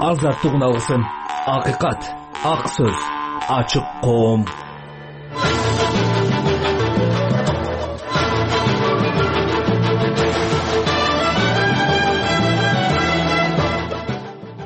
азаттык үналгысын, акыйкат, ак сөз, ачык коом.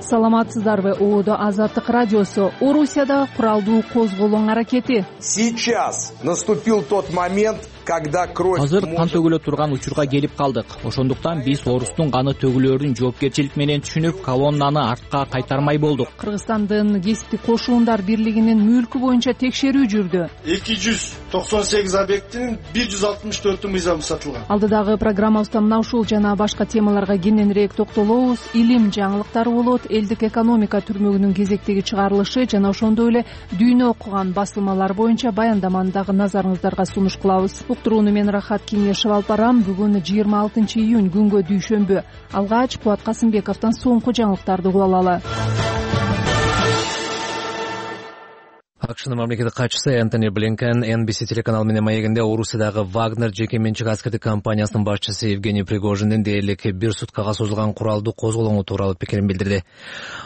Саламатсыздарбы? ООД Азаттык радиосу. Орусияда куралдуу козголоң аракети. Сейчас наступил тот момент, когда кровь. Азыр кан төгүлө турган учурга келип калдык. Ошондуктан биз орустун каны төгүлөрүн жоопкерчилик менен түшүнүп, колоннаны артка кайтармай болдук. Кыргызстандын кесиптик кошуундар бирлигинин мүлкү боюнча текшерүү жүрдү. 298 объектинин 164 мыйзамы сатылган. Алдыдагы программабызда мына ушул жана башка темаларга кененирээк токтолобуз. Илим жаңылыктары болот, элдик экономика түрмөгүнүн кезектеги чыгарылышы жана ошондой эле дүйнө окуган басылмалар боюнча баяндаманы дагы назарыңыздарга сунуш кылабыз. Уктурууну мен Рахат Кеңешев алып барам. Бүгүн 26 июнь күнгө дүйшөмбү. Алгач Кубат Касымбековдон соңку жаңылыктарды угуп алалы. АКШнын мамлекеттик катчысы Энтони Блинкен NBC телеканалы менен маегинде Орусиядагы Вагнер жеке менчик аскердик компаниясынын башчысы Евгений Пригожиндин дээрлик бир суткага созулган куралдуу козголоңу тууралуу пикирин билдирди.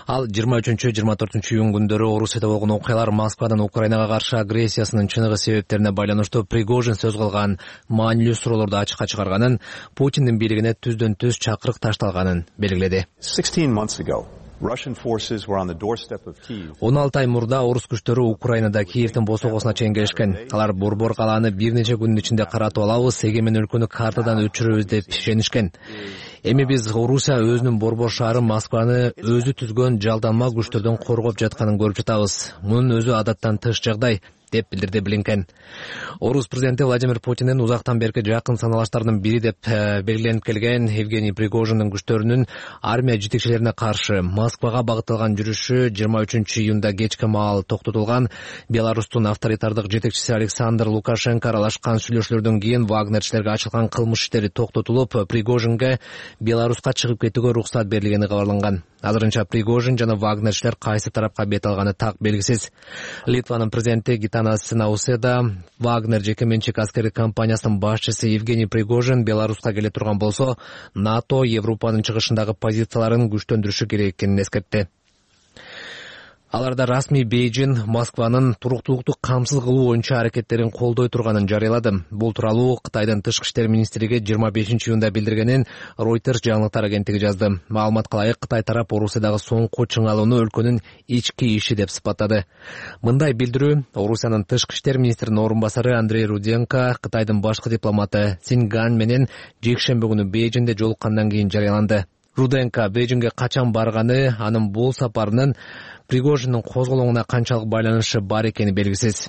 Ал 23-24 июнь күндөрү Орусияда болгон окуялар Москвадан Украинага каршы агрессиясынын чыныгы себептерине байланыштуу Пригожин сөз кылган маанилүү суроолорду ачыкка чыгарганын, Путиндин бийлигине түздөн түз чакырык ташталганын белгиледи. 16 ай мурда орус күчтөрү Украинада Киевдин босогосуна чейин келишкен. Алар борбор калааны бир нече күнүн ичинде каратып алабыз, эгемен өлкөнү картадан өчүрөбүз деп ишенишкен. Эми биз Орусия өзүнүн борбор шаары Москваны өзү түзгөн жалданма күчтөрдөн коргоп жатканын көрүп жатабыз. Мунун өзү адаттан тыш жагдай, деп билдирди Блинкен. Орус президенти Владимир Путиндин узактан берки жакын саналаштардын бири деп белгиленип келген Евгений Пригожиндин күчтөрүнүн армия жетекчилерине каршы Москвага багытталган жүрүшү 23 июнда кечке маал токтотулган. Беларустун авторитардык жетекчиси Александр Лукашенко аралашкан сүйлөшүүлөрдөн кийин вагнерчилерге ачылган кылмыш иштери токтотулуп, Пригожинге Беларуска чыгып кетүүгө уруксат берилгени кабарланган. Азырынча Пригожин жана вагнерчилер кайсы тарапка бет алганы так белгисиз. Литванын президенти Гитанас Науседа Вагнер жеке менчик аскердик компаниясынын башчысы Евгений Пригожин Беларуска келе турган болсо, НАТО Европанын чыгышындагы позицияларын күчтөндүрүшү керек экенин эскертти. Аларда расмий Бейжин Москванын туруктуулукту камсыз кылуу боюнча аракеттерин колдой турганын жарыялады. Бул тууралуу Кытайдын тышкы иштер министрлиги 25 июнда билдиргенин Reuters жаңылыктар агенттиги жазды. Маалымат кылайык, Кытай тарап Орусиядагы соңку чыңалууну өлкөнүн ички иши деп сыпаттады. Мындай билдирүү Орусиянын тышкы иштер министринин орун басары Андрей Руденко Кытайдын башкы дипломаты Синган менен жекшемби күнү Бейжинде жолуккандан кийин жарыяланды. Руденко Бейжинге качан барганы, анын бул сапарынын Пригожиндин козголоңуна канчалык байланышы бар экени белгисиз.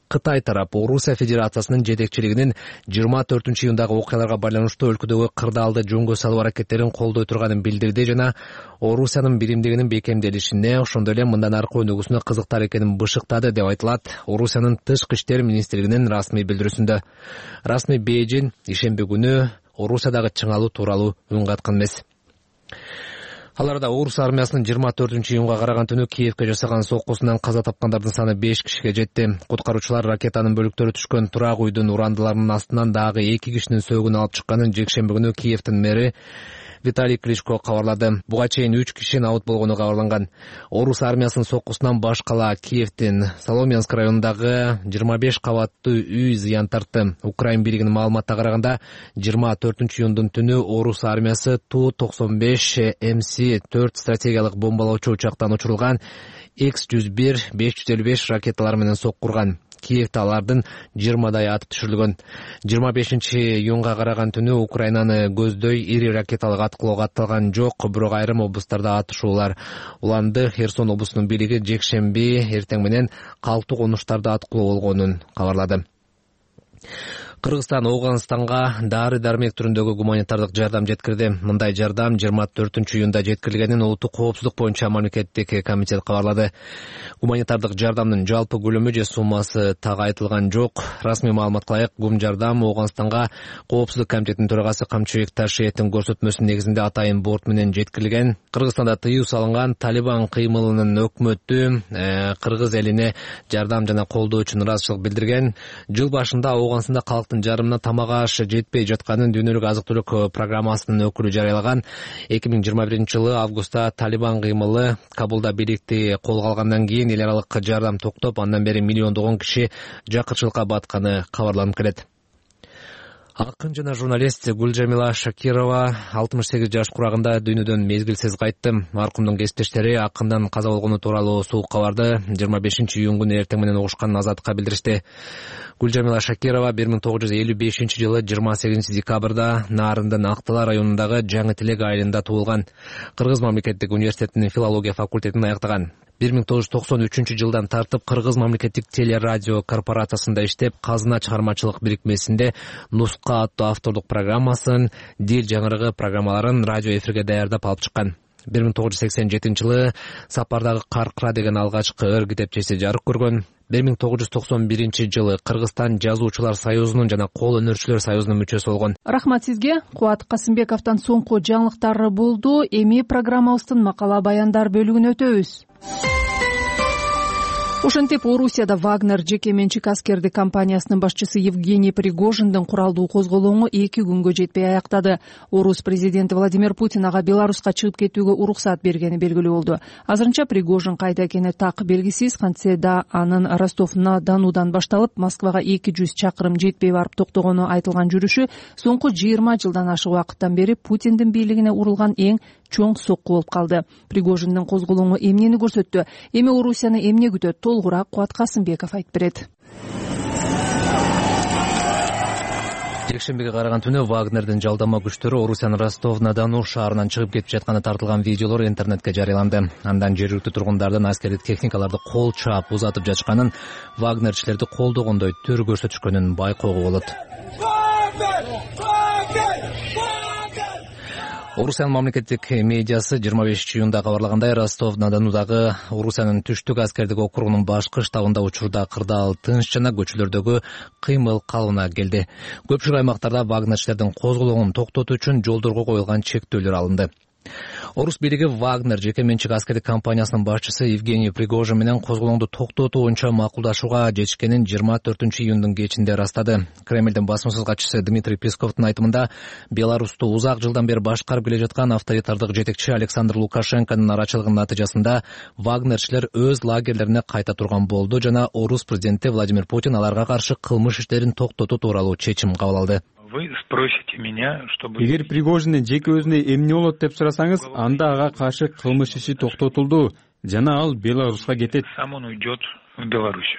Кытай тарап Орусия Федерациясынын жетекчилигинин 24 июндагы окуяларга байланыштуу өлкөдөгү кырдаалды жөнгө салуу аракеттерин колдой турганын билдирди жана Орусиянын биримдигинин бекемделишине, ошондой эле мындан аркы өнүгүүсүнө кызыктар экенин бышыктады деп айтылат Орусиянын тышкы иштер министрлигинин расмий билдирүүсүндө. Расмий Бейжин ишемби күнү Орусиядагы чыңалуу тууралуу үн каткан эмес. Аларда орус армиясынын 24 июнга караган түнү Киевке жасаган соккусунан каза тапкандардын саны 5 кишиге жетти. Куткаруучулар ракетанын бөлүктөрү түшкөн турак үйдүн урандыларынын астынан дагы 2 кишинин сөөгүн алып чыкканын жекшемби күнү Киевдин мэри Виталий Кличко кабарлады. Буга чейин 3 киши абут болгону кабарланган. Орус армиясынын соккусунан баш кала Киевдин Соломенск районундагы 25 кабаттуу үй зыян тартты. Украин бийлигинин маалыматына караганда 24 июндун түнү орус армиясы Ту-95 МС-4 стратегиялык бомбалоочу учактан учурулган X-101 555 ракеталар менен соккурган. Киевде алардын 20дай атып түшүрүлгөн. 25 июнга караган түнү Украинаны көздөй ири ракеталык аткылоого атталган жок, бирок айрым облустарда атышуулар уланды. Херсон облусунун бийлиги жекшемби эртең менен калктуу конуштарда аткылоо болгонун кабарлады. Кыргызстан Ооганстанга дары-дармек түрүндөгү гуманитардык жардам жеткирди. Мындай жардам 24 июнда жеткирилгенин Улуттук коопсуздук боюнча мамлекеттик комитет кабарлады. Гуманитардык жардамдын жалпы көлөмү же суммасы так айтылган жок. Расмий маалымат кылайык, гум жардам Ооганстанга Коопсуздук комитетинин төрагасы Камчыбек Ташиевдин көрсөтмөсүнүн негизинде атайын борт менен жеткирилген. Кыргызстанда тыюу салынган Талибан кыймылынын өкмөтү кыргыз элине жардам жана колдоо үчүн ыраазычылык билдирген. Жыл башында Ооганстанда аймактын жарымына тамак аш жетпей жатканын Дүйнөлүк азык-түлүк программасынын өкүлү жарыялаган. 2021-жылы августта Талибан кыймылы Кабулда бийликти колго алгандан кийин эл аралык жардам токтоп, андан бери миллиондогон киши жакырчылыкка батканы кабарланып келет. Акын жана журналист Гүлжамила Шакирова 68 жаш курагында дүйнөдөн мезгилсиз кайтты. Маркумдун кесиптештери акындан каза болгону тууралуу суук кабарды 25-июнь күнү эртең менен угушканын Азаттыкка билдиришти. Гүлжамила Шакирова 1955-жылы 28 декабрда Нарындын Актала районундагы Жаңы Тилек айылында туулган. Кыргыз мамлекеттик университетинин филология факультетин аяктаган. 1993-жылдан тартып Кыргыз мамлекеттик телерадио корпорациясында иштеп, Казына чыгармачылык бирикмесинде Нуска аттуу автордук программасын, Дил жаңырыгы программаларын радио эфирге даярдап алып чыккан. 1987-жылы Сапардагы Каркыра деген алгачкы ыр китепчеси жарык көргөн. 1991-жылы Кыргызстан жазуучулар союзунун жана кол өнөрчүлөр союзунун мүчөсү болгон. Рахмат сизге. Кубат Касымбековдон соңку жаңылыктар болду. Эми программабыздын макала баяндар бөлүгүнө өтөбүз. Ошентип, Орусияда Вагнер жеке менчик аскердик компаниясынын башчысы Евгений Пригожиндин куралдуу козголоңу 2 күнгө жетпей аяктады. Орус президенти Владимир Путин ага Беларуска чыгып кетүүгө уруксат бергени белгилүү болду. Азырынча Пригожин кайда экени так белгисиз. Кантсе да анын Ростов-на-Донудан башталып, Москвага 200 чакырым жетпей барып токтогону айтылган жүрүшү соңку 20 жылдан ашык убакыттан бери Путиндин бийлигине урулган эң чоң сокку болуп калды. Пригожиндин козголоңу эмнени көрсөттү? Эми Орусияны эмне күтөт? Толугураак Кубат Касымбеков айтып берет. Жекшембиге караган түнү Вагнердин жалдама күчтөрү Орусиянын Ростов-на-Дону шаарынан чыгып кетип жатканы тартылган видеолор интернетке жарыяланды. Андан жергиликтүү тургундардын аскердик техникаларды кол чаап узатып жатышканын, Вагнерчилерди колдогондой төр көрсөтүшкөнүн байкоого болот. Орусиянын мамлекеттик медиасы 25-июнда кабарлагандай, Ростов-на-Донудагы Орусиянын түштүк аскердик округунун башкы штабында учурда кырдаал тынч жана көчөлөрдөгү кыймыл калыбына келди. Көпчүлүк аймактарда вагнерчилердин козголоңун токтотуу үчүн жолдорго коюлган чектөөлөр алынды. Орус бийлиги Вагнер жеке менчик аскердик компаниясынын башчысы Евгений Пригожин менен козголоңду токтотуу боюнча макулдашууга жетишкенин 24-июндун кечинде ырастады. Кремлдин басмасыз катчысы Дмитрий Песковдун айтымында, Беларусту узак жылдан бери башкарып келе жаткан авторитардык жетекчи Александр Лукашенконун арачылыгынын натыйжасында Вагнерчилер өз лагерлерине кайта турган болду жана Орус президенти Владимир Путин аларга каршы кылмыш иштерин токтотуу тууралуу чечим кабыл алды. Вы спросите меня, чтобы... Эгер Пригожиндин жеке өзүнө эмне болот деп сурасаңыз, анда ага каршы кылмыш иши токтотулду жана ал Беларуска кетет. Сам он уйдет в Беларусь.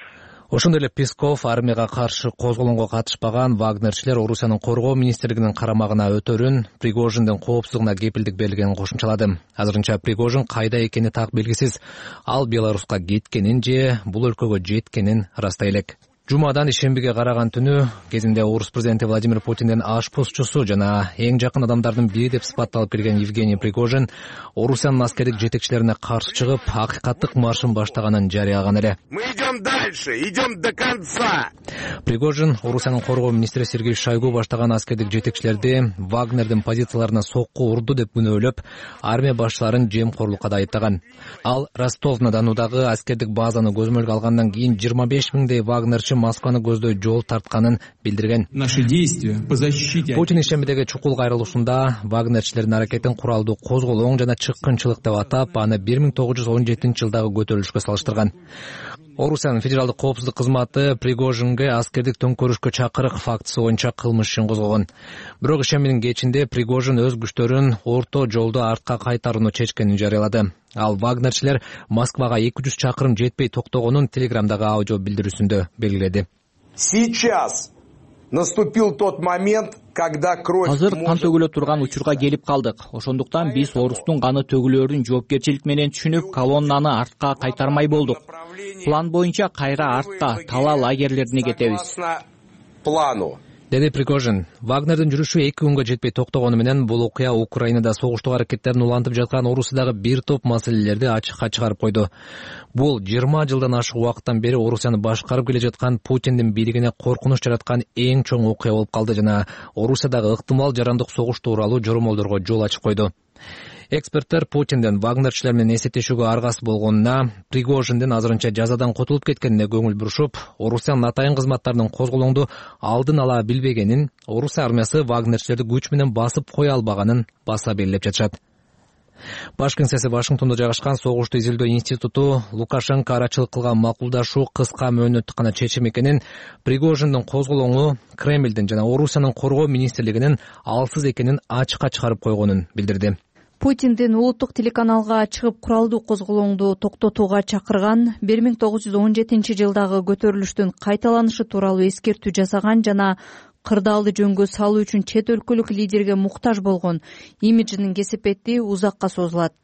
Ошондой эле Песков армияга каршы козголоңго катышпаган вагнерчилер Орусиянын коргоо министрлигинин карамагына өтөрүн, Пригожиндин коопсуздугуна кепилдик бергенин кошумчалады. Азырынча Пригожин кайда экени так белгисиз. Ал Беларуска кеткенин же бул өлкөгө жеткенин ырастай элек. Жумадан ишембиге караган түнү кезинде Орус президенти Владимир Путиндин ашпозчусу жана эң жакын адамдардын бири деп сыпатталып келген Евгений Пригожин Орусиянын аскердик жетекчилерине каршы чыгып, акыйкаттык маршын баштаганын жарыялаган эле. Мы идем дальше, идем до конца. Пригожин Орусиянын коргоо министри Сергей Шойгу баштаган аскердик жетекчилерди Вагнердин позицияларына сокку урду деп күнөөлөп, армия башчыларын жемкорлукка да айыптаган. Ал Ростов-на-Донудагы аскердик базаны көзөмөлгө алгандан кийин 25 миңдей вагнерчи Москваны көздөй жол тартканын билдирген. Путин ишембидеги чукул кайрылышында вагнерчилердин аракетин куралдуу козголоң жана чыккынчылык деп атап, аны 1917-жылдагы көтөрүлүшкө салыштырган. Орусиянын федералдык коопсуздук кызматы Пригожинге аскердик төңкөрүшкө чакырык фактысы боюнча кылмыш ишин козгогон. Бирок ишембинин кечинде Пригожин өз күчтөрүн орто жолдо артка кайтарууну чечкенин жарыялады. Ал вагнерчилер Москвага 200 чакырым жетпей токтогонун Телеграмдагы аудио билдирүүсүндө белгиледи. Сейчас наступил тот момент, когда кровь... Азыр кан төгүлө турган учурга келип калдык. Ошондуктан биз Орустун каны төгүлөрүн жоопкерчилик менен түшүнүп, колоннаны артка кайтармай болдук. План боюнча кайра артта Тала лагерлерине кетебиз. Плану. Деди Пригожин. Вагнердин жүрүшү 2 күнгө жетпей токтогону менен бул окуя Украинада согуштук аракеттерин улантып жаткан Орусиядагы бир топ маселелерди ачыкка чыгарып койду. Бул 20 жылдан ашык убакыттан бери Орусияны башкарып келе жаткан Путиндин бийлигине коркунуч жараткан эң чоң окуя болуп калды жана Орусиядагы ыктымал жарандык согуш тууралуу жоромолдорго жол ачып койду. Эксперттер Путиндин Вагнерчилер менен эсептешүүгө аргасы болгонуна, Пригожиндин азырынча жазадан котулуп кеткенине көңүл бурушуп, Орусиянын атайын кызматтарынын козголоңду алдын ала билбегенин, Орусия армиясы Вагнерчилерди күч менен басып кое албаганын баса белгилеп жатышат. Баш кеңсеси Вашингтондо жайгашкан Согушту изилдөө институту Лукашенко арачылык кылган макулдашуу кыска мөөнөттүк гана чечим экенин, Пригожиндин козголоңу Кремлдин жана Орусиянын коргоо министрлигинин алсыз экенин ачыкка чыгарып койгонун билдирди. Путиндин улуттук телеканалга чыгып куралдуу козголоңду токтотууга чакырган, 1917 жылдагы көтөрүлүштүн кайталанышы тууралуу эскертүү жасаган жана кырдаалды жөнгө салуу үчүн чет өлкөлүк лидерге муктаж болгон имиджинин кесепети узакка созулат.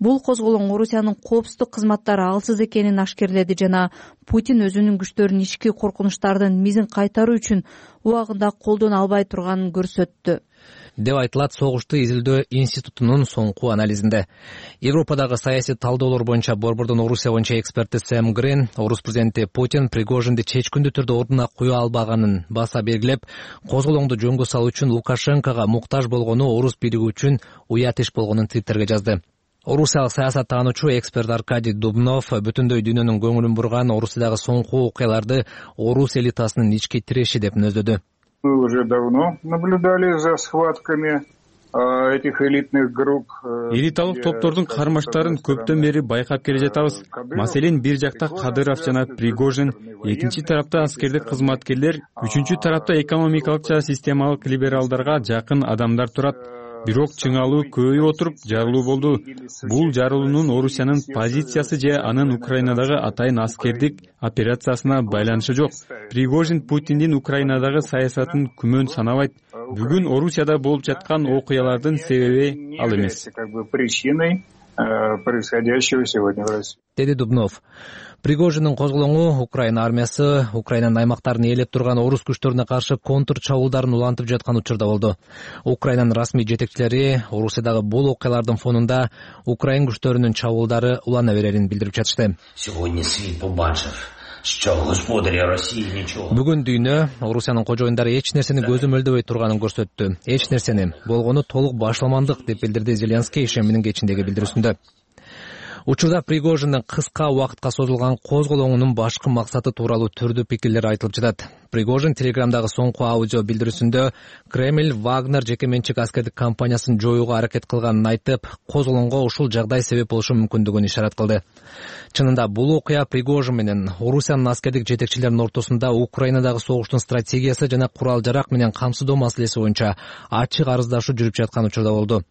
Бул козголоң Орусиянын коопсуздук кызматтары алсыз экенин ашкерледи жана Путин өзүнүн күчтөрүн ички коркунучтардын мизин кайтаруу үчүн убагында колдоно албай турганын көрсөттү, деп айтылат Согушту изилдөө институтунун соңку анализинде. Европадагы саясий талдоолор боюнча Борбордун Орусия боюнча эксперти Сэм Грин, Орус президенти Путин Пригожинди чечкиндүү түрдө ордуна кое албаганын баса белгилеп, козголоңду жөнгө салуу үчүн Лукашенкого муктаж болгону орус бириги үчүн уят иш болгонун Твиттерге жазды. Орусиялык саясаттануучу эксперт Аркадий Дубнов бүтүндөй дүйнөнүн көңүлүн бурган Орусиядагы соңку окуяларды орус элитасынын ички тиреши деп мүнөздөдү. Мы уже давно наблюдали за схватками этих элитных групп. Элиталык топтордун кармаштарын көптөн бери байкап келе жатабыз. Маселен, бир жакта Кадыров жана Пригожин, экинчи тарапта аскердик кызматкерлер, үчүнчү тарапта экономикалык жана системалык либералдарга жакын адамдар турат. Бирок чыңалуу көбөйүп отуруп жарылуу болду. Бул жарылуунун Орусиянын позициясы же анын Украинадагы атайын аскердик операциясына байланышы жок. Пригожин Путиндин Украинадагы саясатын күмөн санабайт. Бүгүн Орусияда болуп жаткан окуялардын себеби ал эмес, деди Дубнов. Пригожиндин козголоңу Украина армиясы Украинанын аймактарын ээлеп турган орус күчтөрүнө каршы контр чабуулдарын улантып жаткан учурда болду. Украинанын расмий жетекчилери Орусиядагы бул окуялардын фонунда Украин күчтөрүнүн чабуулдары улана берерин билдирип жатышты. Бүгүн дүйнө Орусиянын кожоюндары эч нерсени көзөмөлдөбөй турганын көрсөттү. Эч нерсени, болгону толук башламандык, деп билдирди Зеленский ишеминин кечиндеги билдирүүсүндө. Учурда Пригожиндин кыска убакытка созулган козголоңунун башкы максаты тууралуу түрдүү пикирлер айтылып жатат. Пригожин Телеграмдагы соңку аудио билдирүүсүндө Кремль Вагнер жеке менчик аскердик компаниясын жоюуга аракет кылганын айтып, козголоңго ушул жагдай себеп болушу мүмкүндүгүн ишарат кылды. Чынында бул окуя Пригожин менен Орусиянын аскердик жетекчилеринин ортосунда Украинадагы согуштун стратегиясы жана курал-жарак менен камсыздоо маселеси боюнча ачык арыздашуу жүрүп жаткан учурда болду.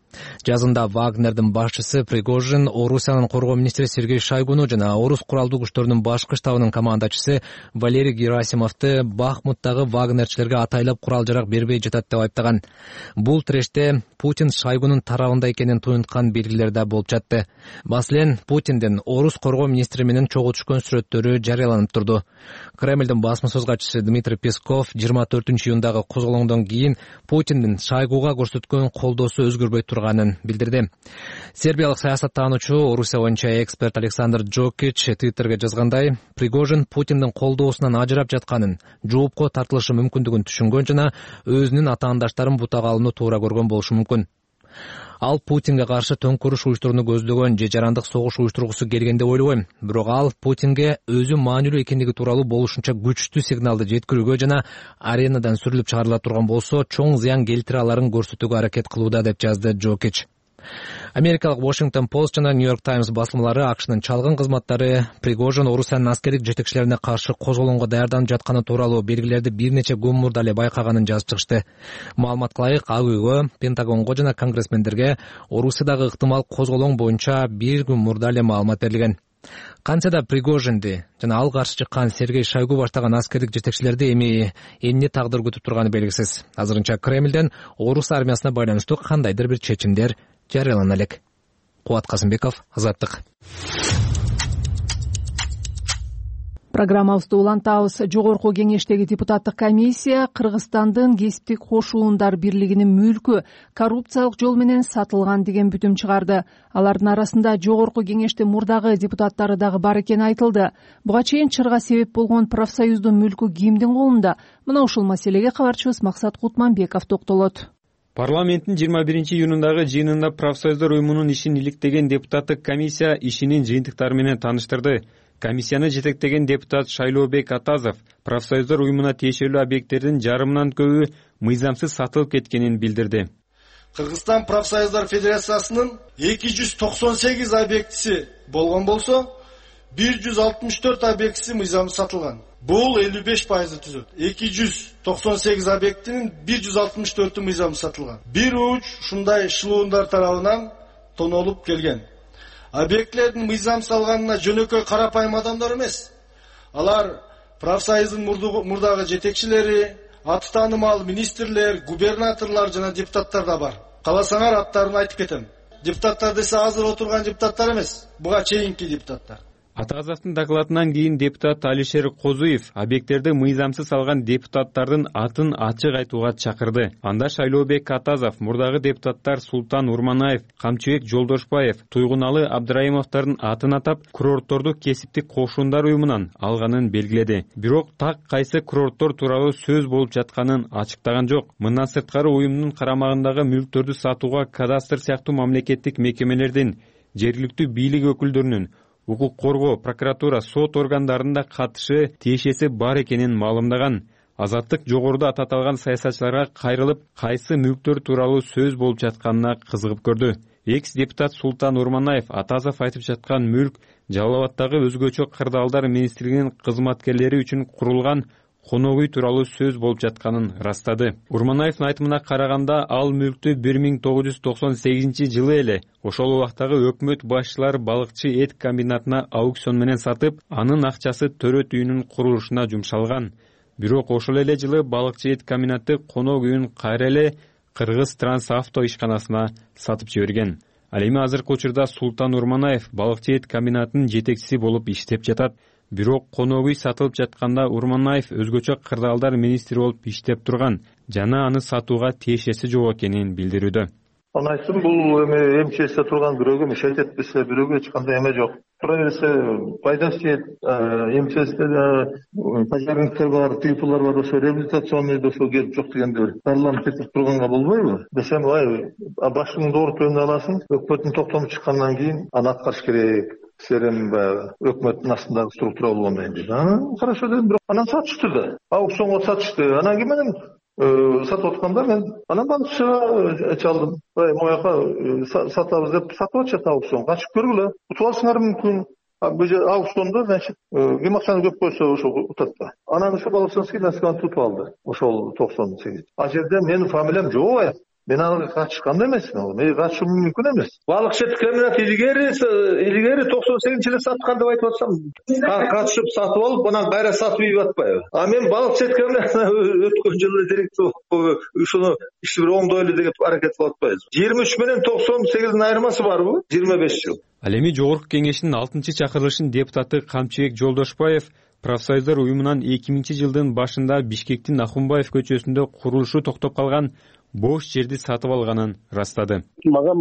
Жазында Вагнердин башчысы Пригожин Орусиянын коргоо министри Сергей Шойгуну жана орус куралдуу күчтөрүнүн башкы штабынын командачысы Валерий Герасимовду Бахмуттагы вагнерчилерге атайлап курал-жарак бербей жатат деп айыптаган. Бул тиреште Путин Шойгунун тарабында экенин туюнткан белгилер да болуп жатты. Маселен, Путиндин орус коргоо министри менен чогуу түшкөн сүрөттөрү жарыяланып турду. Кремлдин басма сөз катчысы Дмитрий Песков 24-июндагы козголоңдон кийин Путиндин Шойгуга көрсөткөн колдоосу өзгөрбөй турганын билдирди. Сербиялык саясаттануучу Орусия боюнча эксперт Александр Джокич Твиттерге жазгандай, Пригожин Путиндин колдоосунан ажырап жатканын, жоопко тартылышы мүмкүндүгүн түшүнгөн жана өзүнүн атаандаштарын бутага алууну туура көргөн болушу мүмкүн. Ал Путинге каршы төңкөрүш уюштурууну көздөгөн же жарандык согуш уюштургусу келген деп ойлобойм. Бирок ал Путинге өзү маанилүү экендиги тууралуу болушунча күчтүү сигналды жеткирүүгө жана аренадан сүрүлүп чыгарыла турган болсо, чоң зыян келтире аларын көрсөтүүгө аракет кылууда, деп жазды Джокич. Америкалык Washington Post жана New York Times басылмалары АКШнын чалгын кызматтары Пригожин Орусиянын аскердик жетекчилерине каршы козголоңго даярданып жатканы тууралуу белгилерди бир нече күн мурда эле байкаганын жазып чыгышты. Маалыматка ылайык, Ак үйгө, Пентагонго жана конгрессмендерге Орусиядагы ыктымал козголоң боюнча бир күн мурда эле маалымат берилген. Кантсе да Пригожинди жана ал каршы чыккан Сергей Шойгу баштаган аскердик жетекчилерди эми эмне тагдыр күтүп турганы белгисиз. Азырынча Кремлден орус армиясына байланыштуу кандайдыр бир чечимдер жарыялана элек. Кубат Казымбеков, Азаттык. Программабызды улантабыз. Жогорку кеңештеги депутаттык комиссия Кыргызстандын кесиптик кошуундар бирлигинин мүлкү коррупциялык жол менен сатылган деген бүтүм чыгарды. Алардын арасында жогорку кеңештин мурдагы депутаттары дагы бар экени айтылды. Буга чейин чырга себеп болгон профсоюздун мүлкү кимдин колунда? Мына ушул маселеге кабарчыбыз Максат Кутманбеков токтолот. Парламенттин 21-июнундагы жыйынында профсоюздар уюмунун ишин иликтеген депутаттык комиссия ишинин жыйынтыктары менен тааныштырды. Комиссияны жетектеген депутат Шайлообек Атазов профсоюздар уюмуна тиешелүү объекттердин жарымынан көбү мыйзамсыз сатылып кеткенин билдирди. Кыргызстан профсоюздар федерациясынын 298 объектиси болгон болсо, 164 объектиси мыйзамсыз сатылган. Бул 55% түзөт. 298 объектинин 164 мыйзамсыз сатылган. Бир уч ушундай шылуундар тарабынан тонолуп келген. Объектлердин мыйзамсыз алганына жөнөкөй карапайым адамдар эмес. Алар профсоюздун мурдагы жетекчилери, аты таанымал министрлер, губернаторлор жана депутаттар да бар. Кааласаңар аттарын айтып кетем. Депутаттар десе азыр отурган депутаттар эмес, буга чейинки депутаттар. Атазовдун докладынан кийин депутат Алишер Козуев объекттерди мыйзамсыз алган депутаттардын атын ачык айтууга чакырды. Анда Шайлообек Атазов, мурдагы депутаттар Султан Урманаев, Камчыбек Жолдошбаев, Туйгуналы Абдрайымовдордун атын атап, курортторду кесиптик кошундар уюмунан алганын белгиледи. Бирок так кайсы курорттор тууралуу сөз болуп жатканын ачыктаган жок. Мындан сырткары уюмдун карамагындагы мүлктөрдү сатууга кадастр сыяктуу мамлекеттик мекемелердин, жергиликтүү бийлик өкүлдөрүнүн, укук коргоо, прокуратура, сот органдарында катышы, тиешеси бар экенин маалымдаган. Азаттык жогоруда ататалган саясатчыларга кайрылып, кайсы мүлктөр тууралуу сөз болуп жатканына кызыгып көрдү. Экс-депутат Султан Урманаев Атазов айтып жаткан мүлк Жалал Абадтагы өзгөчө кырдаалдар министрлигинин кызматкерлери үчүн курулган конок үй тууралуу сөз болуп жатканын растады. Урманаевдин айтымына караганда, ал мүлктү 1998-жылы эле ошол убактагы өкмөт башчылары балыкчы эт комбинатына аукцион менен сатып, анын акчасы төрөт үйүнүн курулушуна жумшалган. Бирок ошол эле жылы балыкчы эт комбинаты конок үйүн кайра эле Кыргыз Трансавто ишканасына сатып жиберген. Ал эми азыркы учурда Султан Урманаев балыкчы эт комбинатынын жетекчиси болуп иштеп жатат. Бирок конок үй сатылып жатканда Урманаев өзгөчө кырдаалдар министри болуп иштеп турган жана аны сатууга тиешеси жок экенин билдирүүдө. Аны айттым, бул эми МЧСте турган бирөөгө мешайт этпесе, бирөөгө эч кандай эме жок. Тура берсе пайдасы тиет, МЧСте пожарниктер бар, тыйпулар бар, ошо реабилитационный ошо келип жок дегенде дарланып кетип турганга болбойбу? Десем, башыңды оорутууну аласың, өкмөттүн токтому чыккандан кийин аны аткарыш керек. Серем өкмөттүн астындагы структура болгондон кийин. Хорошо дедим, бирок анан сатышты да. Аукционго сатышты. Анан кийин менен сатып атканда мен анан балыкчыга чалдым. Мояка сатабыз деп сатып атышат аукцион. Качып көргүлө. Утуп алсыңар мүмкүн. Аукциондо, значит, ким акчаны көп койсо ошо утат да. Анан ошо балыкчыский насканы тутуп алды. Ошол 98. А жерде менин фамилиям жок. Мен ага катышкан эмесмин, мен катышым мүмкүн эмес. Балыкчы комбинат илгери 98-жылы саткан деп айтып атсам, катышып сатып алып, анан кайра сатып ийип атпайбы? А мен балыкчы комбинатына өткөн жылы директор ушуну ишти бир оңдойлу деп аракет кылып атпайбыз. 23 менен 98-дин айырмасы барбы? 25 жыл. Ал эми жогорку кеңештин 6-чакырылышынын депутаты Камчыбек Жолдошбаев профсоюздар уюмунан 2000-жылдын башында Бишкектин Ахунбаев көчөсүндө курулушу токтоп калган бош жерди сатып алганын растады. Мага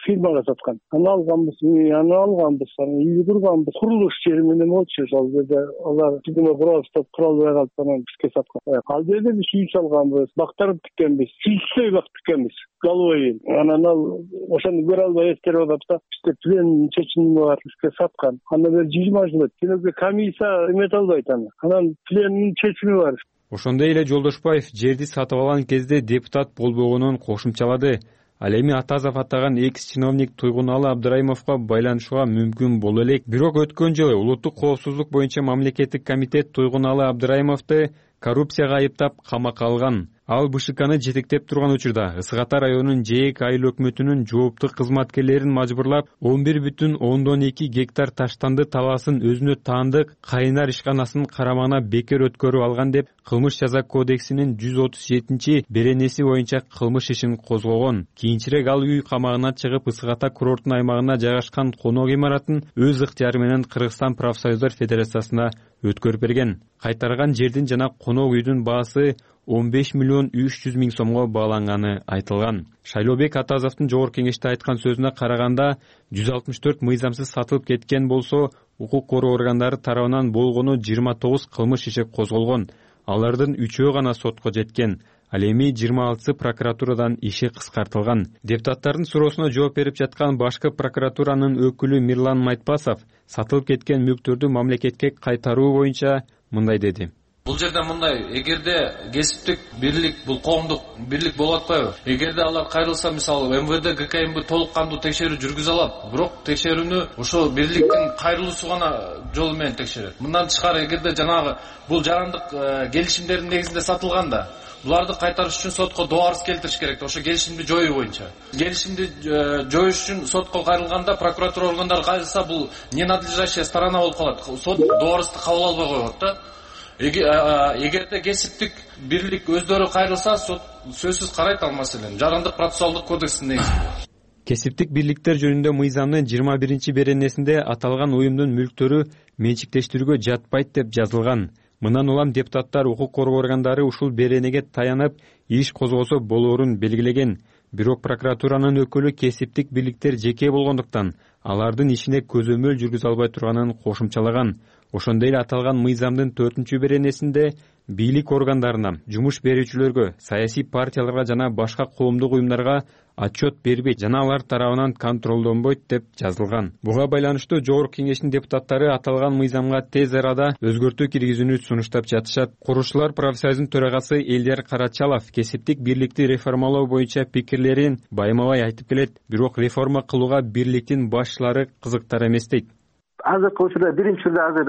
фирмага саткан. Аны алганбыз, үй курганбыз. Курулуш жери менен болчу, ошол жерде алар тигине просто куралбай калып анан бизге саткан. Ал жерде биз үй салганбыз, бактарды тиккенбиз, сүйлсөй бак тиккенбиз. Головой. Анан ал ошону көрө албай эскерип атып да, бизде плен чечими бар, бизге саткан. Андан бери 20 жыл өттү. Тилеге комиссия эмете албайт аны. Анан пленин чечими бар. Ошондой эле Жолдошбаев жерди сатып алган кезде депутат болбогонун кошумчалады. Ал эми Атазов атаган экс-чиновник Туйгуналы Абдрайымовго байланышууга мүмкүн боло элек. Бирок өткөн жылы улуттук коопсуздук боюнча мамлекеттик комитет Туйгуналы Абдрайымовду коррупцияга айыптап камакка алган. Ал БШКны жетектеп турган учурда Ысык Ата районунун ЖЭК айыл өкмөтүнүн жоопту кызматкерлерин мажбурлап 11,12 гектар таштанды талаасын өзүнө таандык Кайнар ишканасынын карамагына бекер өткөрүп алган деп Кылмыш жаза кодексинин 137-беренеси боюнча кылмыш ишин козгогон. Кийинчерээк ал үй камагына чыгып Ысык Ата курорттун аймагына жайгашкан конок имаратын өз ыктыяры менен Кыргызстан профсоюздар федерациясына өткөрүп берген. Кайтарган жердин жана конок үйдүн баасы 15,3 миллион сомго бааланганы айтылган. Шайлообек Атазовдун жогорку кеңеште айткан сөзүнө караганда 164 мыйзамсыз сатылып кеткен болсо, укук коргоо органдары тарабынан болгону 29 кылмыш иши козголгон. алардын 3-өө гана сотко жеткен. Ал эми 26 прокуратурадан иши кыскартылган. Депутаттардын суроосуна жооп берип жаткан башкы прокуратуранын өкүлү Мирлан Майтпасов сатылып кеткен мүлктөрдү мамлекетке кайтаруу боюнча мындай деди. Бул жерде мындай, эгерде кесиптик бирлик, бул коомдук бирлик болуп атпайбы? Эгерде алар кайрылса, мисалы МВД, ГКМБ толук кандуу текшерүү жүргүзө алат, бирок текшерүүнү ошо бирликтин кайрылуусу гана жолу менен текшерет. Мындан тышкары, эгерде жанагы бул жарандык келишимдердин негизинде сатылганда, буларды кайтарыш үчүн сотко доо арыз келтириш керек. Ошо келишимди жоюу боюнча. Келишимди жоюш үчүн сотко кайрылганда, прокуратура органдары кайрылса, бул ненадлежащая сторона болуп калат. Сот доо арызды кабыл албай коет да. Эгерде кесиптик бирлик өздөрү кайрылса, сот сөзсүз карайт ал маселени. Жарандык процессуалдык кодекстин негизинде. Кесиптик бирликтер жөнүндө мыйзамдын 21-беренесинде аталган уюмдун мүлктөрү менчиктештирүүгө жатпайт деп жазылган. Мындан улам депутаттар укук коргоо органдары ушул беренеге таянып иш козгосо болоорун белгилеген. Бирок прокуратуранын өкүлү кесиптик бирликтер жеке болгондуктан алардын ишине көзөмөл жүргүзө албай турганын кошумчалаган. Ошондой эле аталган мыйзамдын 4-беренесинде бийлик органдарына, жумуш берүүчүлөргө, саясий партияларга жана башка коомдук уюмдарга отчет бербейт жана алар тарабынан контролдонбойт деп жазылган. Буга байланыштуу Жогорку Кеңештин депутаттары аталган мыйзамга тез арада өзгөртүү киргизүүнү сунуштап жатышат. Курушчулар профсоюзунун төрагасы Элдер Карачалов кесиптик бирликти реформалоо боюнча пикирлерин байма-бай айтып келет, бирок реформа кылууга бирликтин башчылары кызыктар эмес дейт. Азыркы учурда биринчи түрдө азыр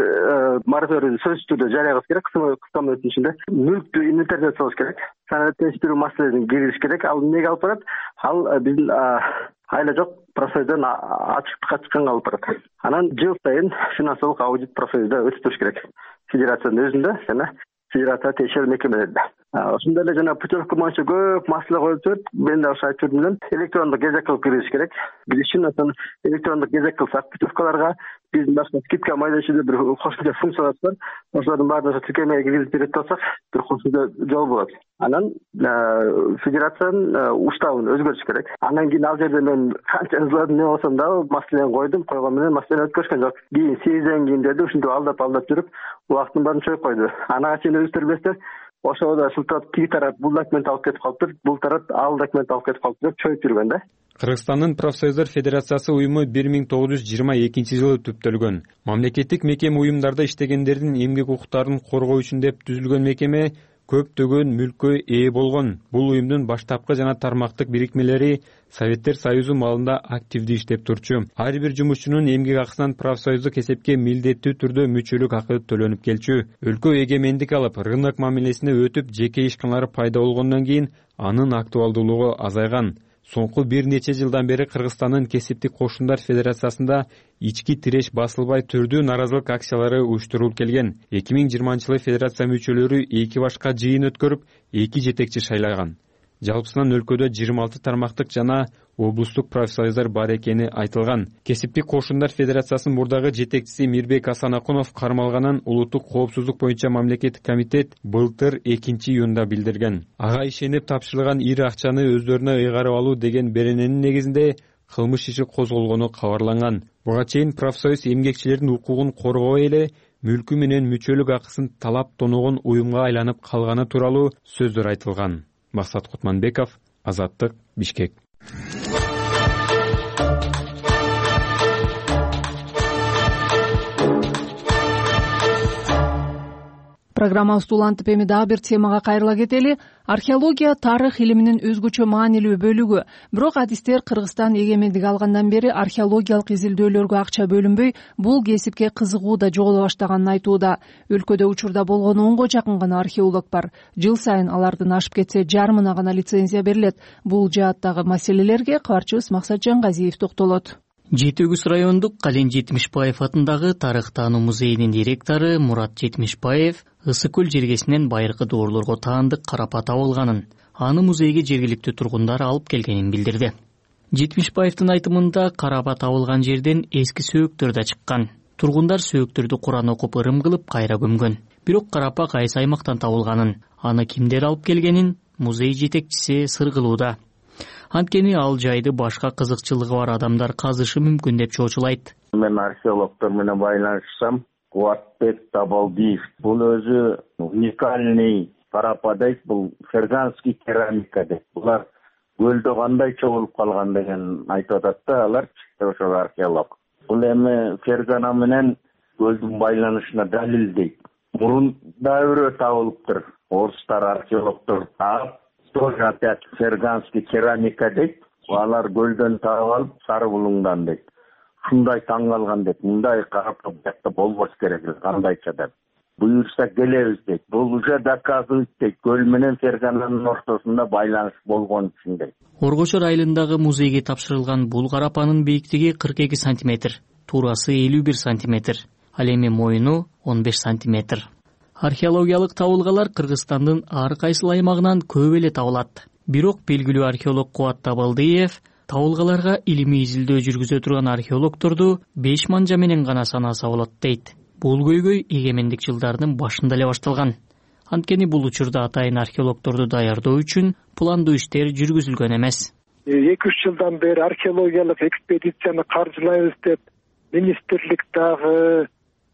мораторийди сөзсүз түрдө жарыялаш керек. Кыска мөөнөттүн ичинде мүлктү инвентаризациялаш керек. Санаттештирүү маселелерин киргизиш керек. Ал эмнеге алып барат? Ал биздин айла жок профсоюздан ачыктыкка чыкканга алып барат. Анан жыл сайын финансылык аудит профсоюзда өтүп керек. Федерациянын өзүндө жана федерация тиешелүү мекемелерде. Ошондой эле жана путевка боюнча көп маселе коюлуп жүрөт. Мен да ошо айтып жүрдүм. Электрондук кезек кылып киргизиш керек. Биз үчүн электрондук кезек кылсак, путевкаларга биздин башка скидка майда иши бир кошумча функциялар бар. Ошолордун баардыгын тиркемеге киргизип берет болсак, бир кошумча жол болот. Анан федерациянын уставын өзгөртүш керек. Андан кийин ал жерде мен канча ызладым, эмне болсом дагы маселени койгон менен маселени өткөрүшкөн жок. Кийин съезден кийин деди, ушинтип алдап жүрүп, убактын баарын чоюп койду. Анага чейин өзүңүздөр билесиздер, ошода шылтырап тиги тарап бул документ алып кетип калыптыр, бул тарап ал документ алып кетип калыптыр деп чоюп жүргөн да. Кыргызстандын профсоюздар федерациясы уюму 1922-жылы түптөлгөн. Мамлекеттик мекеме уюмдарда иштегендердин эмгек укуктарын коргоо үчүн деп түзүлгөн мекеме көптөгөн мүлккө ээ болгон. Бул уюмдун баштапкы жана тармактык бирикмелери Советтер Союзу маалында активдүү иштеп турчу. Ар бир жумушчунун эмгек акысынан профсоюздук эсепке милдеттүү түрдө мүчөлүк акы төлөнүп келчү. Өлкө эгемендик алып, рынок мамилесине өтүп, жеке ишканалар пайда болгондон кийин анын актуалдуулугу азайган. Соңку бир нече жылдан бери Кыргызстандын кесиптик кошундар федерациясында ички тиреш басылбай түрдүү наразылык акциялары уюштурулуп келген. 2020-жылы федерация мүчөлөрү 2 башка жыйын өткөрүп, 2 жетекчи шайлаган. Жалпысынан өлкөдө 26 тармактык жана облустук профсоюздар бар экени айтылган. Кесиптик кошундар федерациясынын мурдагы жетекчиси Мирбек Асанакунов кармалганын улуттук коопсуздук боюнча мамлекеттик комитет былтыр 2-июнда билдирген. Ага ишенип тапшырылган ири акчаны өздөрүнө ыйгарып алуу деген берененин негизинде кылмыш иши козголгону кабарланган. Буга чейин профсоюз эмгекчилердин укугун коргобой эле мүлкү менен мүчөлүк акысын талап тоногон уюмга айланып калганы тууралуу сөздөр айтылган. Максат Кутманбеков, Азаттык, Бишкек. Программабызды улантып эми дагы бир темага кайрыла кетели. Археология тарых илиминин өзгөчө маанилүү бөлүгү. Бирок адистер Кыргызстан эгемендик алгандан бери археологиялык изилдөөлөргө акча бөлүнбөй, бул кесипке кызыгуу да жоголо баштаганын айтууда. Өлкөдө учурда болгон 10го жакын гана археолог бар. Жыл сайын алардын ашып кетсе жарымына гана лицензия берилет. Бул жааттагы маселелерге кабарчыбыз Максат Жангазиев токтолот. Жети Өгүз райондук Кален Жетимишбаев атындагы тарых таануу музейинин директору Мурат Жетимишбаев Ысык көл жергесинен байыркы доорлорго таандык карапа табылганын, аны музейге жергиликтүү тургундар алып келгенин билдирди. Жетимишбаевдин айтымында карапа табылган жерден эски сөөктөр да чыккан. Тургундар сөөктөрдү Куран окуп ырым кылып кайра көмгөн. Бирок карапа кайсы аймактан табылганын, аны кимдер алып келгенин музей жетекчиси сыр кылууда. Анткени ал жайды башка кызыкчылыгы бар адамдар казышы мүмкүн деп чоочулайт. Мен археологдор менен байланышсам, Кубатбек Табалдиев. Бул өзү уникальный карападайт, бул ферганский керамика дейт. Булар көлдө кандай чогулуп калган деген айтып атат да алар, ошол археолог. Бул эми фергана менен көлдүн байланышына далил дейт. Мурун дайры табылыптыр. Орустар археологдор таап, тоже опять ферганский керамика дейт. Алар көлдөн таап алып, Сары Булуңдан дейт. Шундай таң калган дейт. Мындай карап бакта болбош керек, кандайча деп. Буюрса келебиз дейт. Бул уже доказывает дейт. Көл менен фергананын ортосунда байланыш болгон үчүн дейт. Оргочор айылындагы музейге тапшырылган бул карапанын бийиктиги 42 сантиметр, туурасы 51 сантиметр, ал эми моюну 15 сантиметр. Археологиялык табылгалар Кыргызстандын ар кайсыл аймагынан көп эле табылат. Бирок белгилүү археолог Кубат Табалдиев табылгаларга илимий изилдөө жүргүзө турган археологторду 5 манжа менен гана санаса болот дейт. Бул көйгөй эгемендик жылдарынын башында эле башталган. Анткени бул учурда атайын археологторду даярдоо үчүн пландуу иштер жүргүзүлгөн эмес. 2-3 жылдан бери археологиялык экспедицияны каржылайбыз деп министрлик дагы,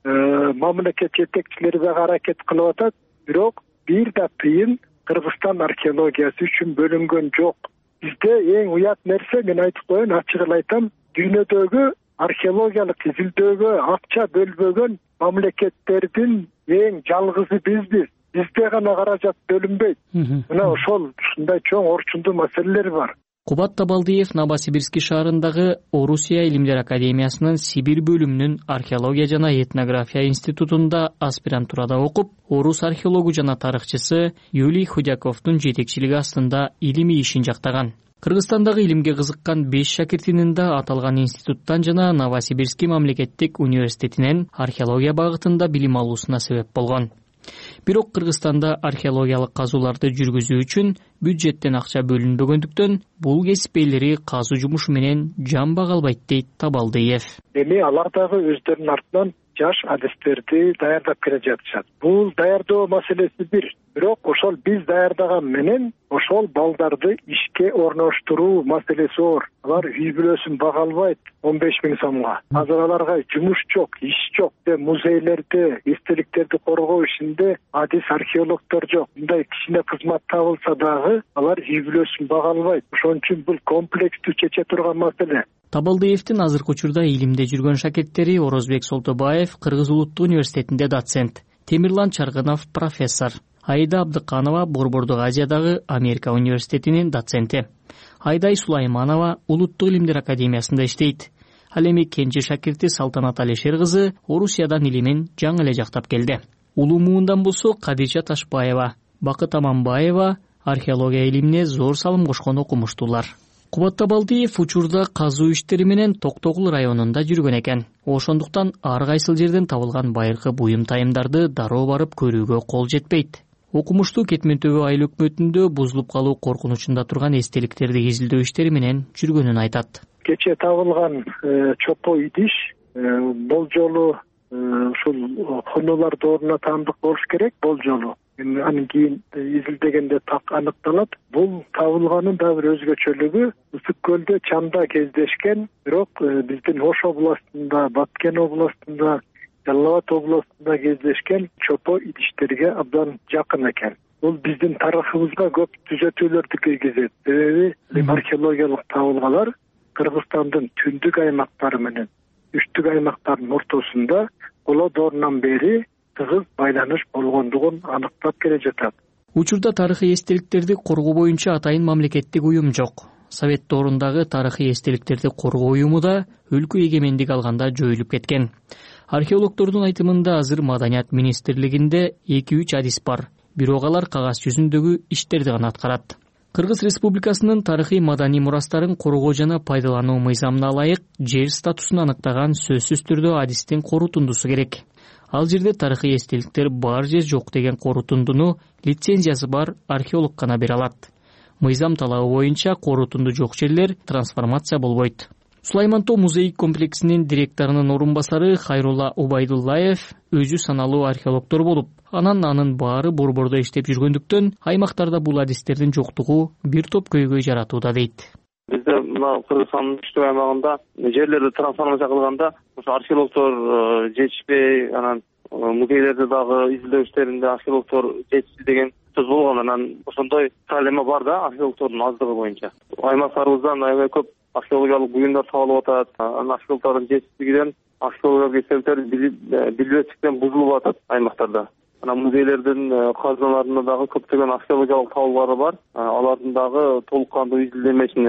мамлекет жетекчилери дагы аракет кылып атат. Бирок бир да тыйын Кыргызстан археологиясы үчүн бөлүнгөн жок. Бизде эң уят нерсе, мен айтып коеюн, ачык эле айтам, дүйнөдөгү археологиялык изилдөөгө акча бөлбөгөн мамлекеттердин эң жалгызы бизбиз. Бизде гана каражат бөлүнбөйт. Мына ошол ушундай чоң орчундуу маселелер бар. Кубат Табалдиев Новосибирский шаарындагы Орусия илимдер академиясынын Сибир бөлүмүнүн археология жана этнография институтунда аспирантурада окуп, орус археологу жана тарыхчысы Юлий Худяковдун жетекчилиги астында илимий ишин жактаган. Кыргызстандагы илимге кызыккан 5 шакиртинин да аталган институттан жана Новосибирский мамлекеттик университетинен археология багытында билим алуусуна себеп болгон. Бирок Кыргызстанда археологиялык казууларды жүргүзүү үчүн бюджеттен акча бөлүнбөгөндүктөн бул кесип ээлери казуу жумушу менен жан бага албайт дейт Табалдиев. Эми алар дагы өздөрүнүн артынан жаш адистерди даярдап келе жатышат. Бул даярдоо маселеси бирок ошол биз даярдаган менен ошол балдарды ишке орноштуруу маселеси оор. Алар үй бүлөсүн бага албайт 15 000 сомго. Азыр аларга жумуш жок, иш жок. Музейлерде эстеликтерди коргоо ишинде адис археологдор жок. Мындай кичине кызмат табылса дагы алар үй бүлөсүн бага албайт. Ошон үчүн бул комплекстүү чече турган маселе. Табалдиевдин азыркы учурда илимде жүргөн шакирттери Орозбек Солтобаев Кыргыз улуттук университетинде доцент, Темирлан Чаргынов профессор, Айда Абдыканова Борбордук Азиядагы Америка университетинин доценти, Айдай Сулайманова Улуттук илимдер академиясында иштейт. Ал эми кенже шакирти Салтанат Алишер кызы Орусиядан илимин жаңы эле жактап келди. Улуу муундан болсо Кадижа Ташбаева, Бакыт Аманбаева археология илимине зор салым кошкон окумуштуулар. Кубат Табалдиев учурда казуу иштери менен Токтогул районунда жүргөн экен. Ошондуктан ар кайсыл жерден табылган байыркы буюм тайымдарды дароо барып көрүүгө кол жетпейт. Окумуштуу Кетмен Төбө айыл өкмөтүндө бузулуп калуу коркунучунда турган эстеликтерди изилдөө иштери менен жүргөнүн айтат. Кече табылган чопо идиш болжолу ушул конолордун ордуна таандык болуш керек, болжолу. Анын кийин изилдегенде так аныкталат. Бул табылганын да бир өзгөчөлүгү Ысык көлдө чанда кездешкен, бирок биздин Ош областында, Баткен областында, Жалал Абад областында кездешкен чопо идиштерге абдан жакын экен. Бул биздин тарыхыбызга көп түзөтүүлөрдү киргизет. Себеби археологиялык табылгалар Кыргызстандын түндүк аймактары менен үчтүк аймактардын ортосунда коло доорунан бери тыгыз байланыш болгондугун аныктап келе жатат. Учурда тарыхый эстеликтерди коргоо боюнча атайын мамлекеттик уюм жок. Совет доорундагы тарыхый эстеликтерди коргоо уюму да өлкө эгемендик алганда жоюлуп кеткен. Археологдордун айтымында азыр Маданият министрлигинде 2-3 адис бар, бирок алар кагаз жүзүндөгү иштерди гана аткарат. Кыргыз Республикасынын тарыхый маданий мурастарын коргоо жана пайдалануу мыйзамына ылайык жер статусун аныктаган сөзсүз түрдө адистин корутундусу керек. Ал жерде тарыхый эстеликтер бар же жок деген корутундуну лицензиясы бар археолог гана бере алат. Мыйзам талабы боюнча корутунду жок жерлер трансформация болбойт. Сулайман Тоо музей комплексинин директорунун орун басары Хайрулла Убайдуллаев өзү саналуу археологдор болуп, анын баары борбордо иштеп жүргөндүктөн аймактарда бул адистердин жоктугу бир топ көйгөй жаратууда дейт. Бизде мына Кыргызстандын түштүк аймагында жерлерди трансформация кылганда ошо археологдор жетишпей, анан музейлерде дагы изилдөө иштеринде археологдор жетишти деген сөз болгон. Анан ошондой проблема бар да археологдордун аздыгы боюнча. Аймактарыбыздан аябай көп археологиялык буюмдар табылып атат. Анан археологдордун жетишсиздигинен археологиялык эстеликтер билбестиктен бузулуп атат аймактарда. Анан музейлердин казыналарында дагы көптөгөн археологиялык табуулары бар. Алардын дагы толук кандуу изилдемесин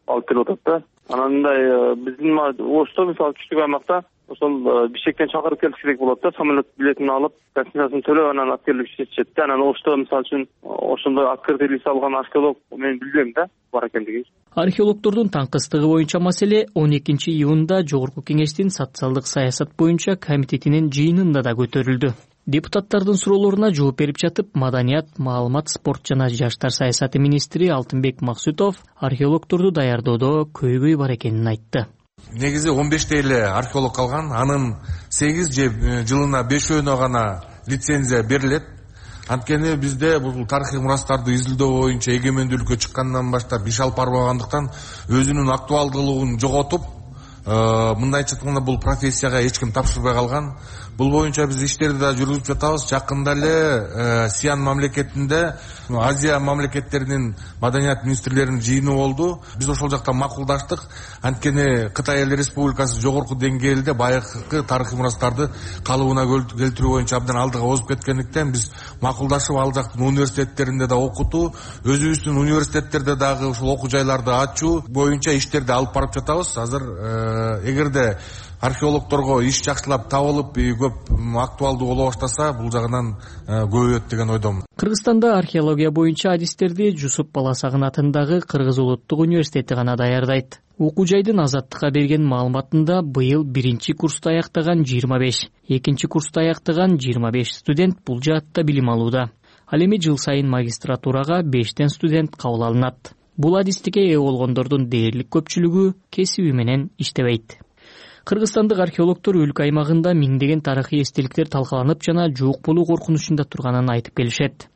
алып келип атат да. Анан мындай биздин Ошто мисалы күчтүк аймакта ошол Бишкектен чакырып келиш керек болот да, самолет билетин алып, гостиницасын төлөп, анан алып келип иштетишет да. Анан Ошто мисалы үчүн ошондой открытый лист алган археолог мен билбейм да, бар экендигин. Археологдордун таңкыстыгы боюнча маселе 12-июнда Жогорку Кеңештин социалдык саясат боюнча комитетинин жыйынында да көтөрүлдү. Депутаттардын суроолоруна жооп берип жатып, Маданият, маалымат, спорт жана жаштар саясаты министри Алтынбек Максутов археологдорду даярдоодо көйгөй бар экенин айтты. Негизи 15 эле археолог калган, анын 8 же жылына 5 гана лицензия берилет. Анткени бизде бул тарыхый мурастарды изилдөө боюнча эгемендүүлүккө чыккандан баштап иш алып барбагандыктан өзүнүн актуалдуулугун жоготуп, мындайча айтканда бул профессияга эч ким тапшырбай калган. Бул боюнча биз иштерди да жүргүзүп жатабыз. Жакында эле Сиан мамлекетинде Азия мамлекеттеринин маданият министрлеринин жыйыны болду. Биз ошол жакта макулдаштык. Анткени Кытай Эл Республикасы жогорку деңгээлде байыркы тарыхый мурастарды калыбына келтирүү боюнча абдан алдыга озуп кеткендиктен биз макулдашып ал жактын университеттеринде да окутуу, өзүбүздүн университеттерде дагы ушул окуу жайларды ачуу боюнча иштерди алып барып жатабыз. Азыр эгерде археологдорго иш жакшылап табылып, көп актуалдуу боло баштаса, бул жагынан көбөйөт деген ойдомун. Кыргызстанда археология боюнча адистерди Жусуп Баласагын атындагы Кыргыз Улуттук университети гана даярдайт. Окуу жайдын Азаттыкка берген маалыматында быйыл 1-курсту аяктаган 25, 2-курсту аяктаган 25 студент бул жаатта билим алууда. Ал эми жыл сайын магистратурага 5 студент кабыл алынат. Бул адистикке ээ болгондордун дээрлик көпчүлүгү кесиби менен иштебейт. Кыргызстандык археологдор өлкө аймагында миңдеген тарыхый эстеликтер талкаланып жана жок болуу коркунучунда турганын айтып келишет.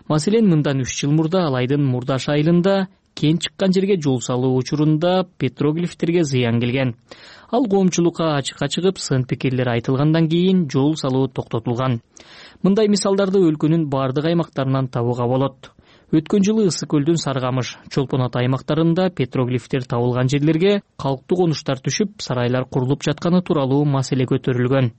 Маселен, мындан 3 жыл мурда Алайдын Мурдаш айылында кен чыккан жерге жол салуу учурунда петроглифтерге зыян келген. Ал коомчулукка ачыкка чыгып, сын пикирлер айтылгандан кийин жол салуу токтотулган. Мындай мисалдарды өлкөнүн бардык аймактарынан табууга болот. Өткөн жылы Ысык көлдүн Саргамыш, Чолпон Ата аймактарында петроглифтер табылган жерлерге калктуу конуштар түшүп, сарайлар курулуп жатканы тууралуу маселе көтөрүлгөн.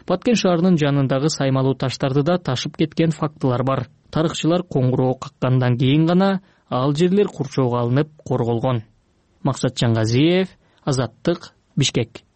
Баткен шаарынын жанындагы саймалуу таштарды да ташып кеткен фактылар бар. Тарыхчылар коңгуроо каккандан кийин гана ал жерлер курчоого алынып корголгон. Максат Жаңгазиев, Азаттык, Бишкек.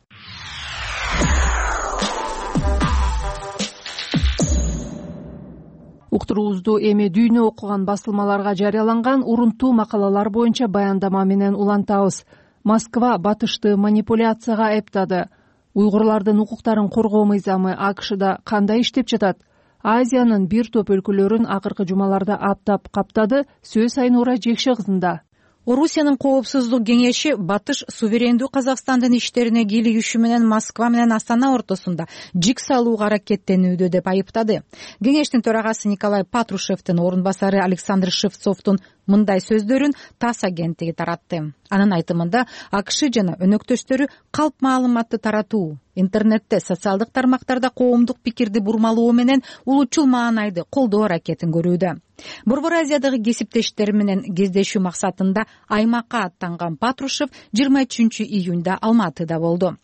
Уктуруубузду эми дүйнө окуган басылмаларга жарыяланган урунтуу макалалар боюнча баяндама менен улантабыз. Москва батышты манипуляцияга айыптады. Уйгурлардын укуктарын коргоо мыйзамы АКШда кандай иштеп жатат? Азиянын бир топ өлкөлөрүн акыркы жумаларда аптап каптады. Сөз Айнура Жекше кызында. Орусиянын коопсуздук кеңеши батыш суверендүү Казакстандын иштерине кийлигиши менен Москва менен Астана ортосунда жик салууга аракеттенүүдө деп айыптады. Кеңештин төрагасы Николай Патрушевдин орун басары Александр Шевцовдун мындай сөздөрүн ТАСС агенттиги таратты. Анын айтымында АКШ жана өнөктөштөрү калп маалыматты таратуу, интернетте, социалдык тармактарда коомдук пикирди бурмалоо менен улутчул маанайды колдоо аракетин көрүүдө. Борбор Азиядагы кесиптештери менен кездешүү максатында аймакка аттанган Патрушев 23 июнда Алматыда болду.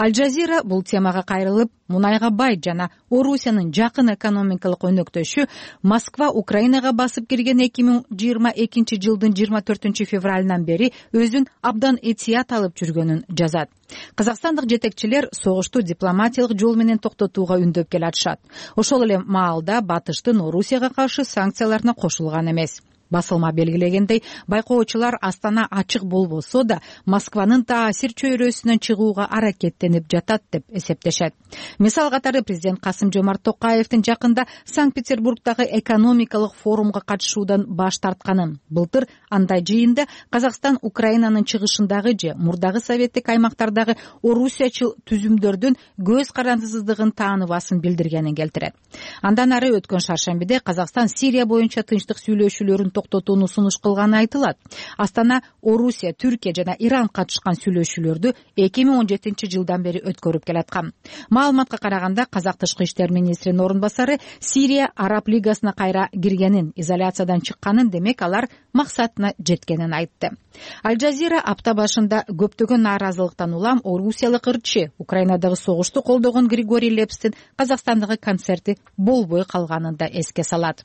Аль-Жазира бул темага кайрылып, мунайга бай жана Орусиянын жакын экономикалык өнөктөшү Москва Украинага басып кирген 2022 жылдын 24 февралынан бери өзүн абдан этият алып жүргөнүн жазат. Казакстандык жетекчилер согушту дипломатиялык жол менен токтотууга үндөп келатышат. Ошол эле маалда батыштын Орусияга каршы санкцияларына кошулган эмес. Басылма белгилегендей, байкоочулар Астана ачык болбосо да Москванын таасир чөйрөсүнөн чыгууга аракеттенип жатат деп эсептешет. Мисал катары президент Касым-Жомарт Токаевдин жакында Санкт-Петербургдагы экономикалык форумга катышуудан баш тартканын, былтыр андай жыйында Казакстан Украинанын чыгышындагы же мурдагы советтик аймактардагы орусиячыл түзүмдөрдүн көз карандысыздыгын тааныбасын билдиргенин келтирет. Андан ары өткөн шаршембиде Казакстан Сирия боюнча тынчтык сүйлөшүүлөрүн токтотууну сунуш кылганы айтылат. Астана Орусия, Түркия жана Иран катышкан сүйлөшүүлөрдү 2017 жылдан бери өткөрүп келаткан. Маалыматка караганда казак тышкы иштер министринин орун басары Сирия Араб лигасына кайра киргенин, изоляциядан чыкканын, демек алар максатына жеткенин айтты. Аль-Жазира апта башында көптөгөн нааразылыктан улам орусиялык ырчы Украинадагы согушту колдогон Григорий Лепстин Казакстандагы концерти болбой калганын да эске салат.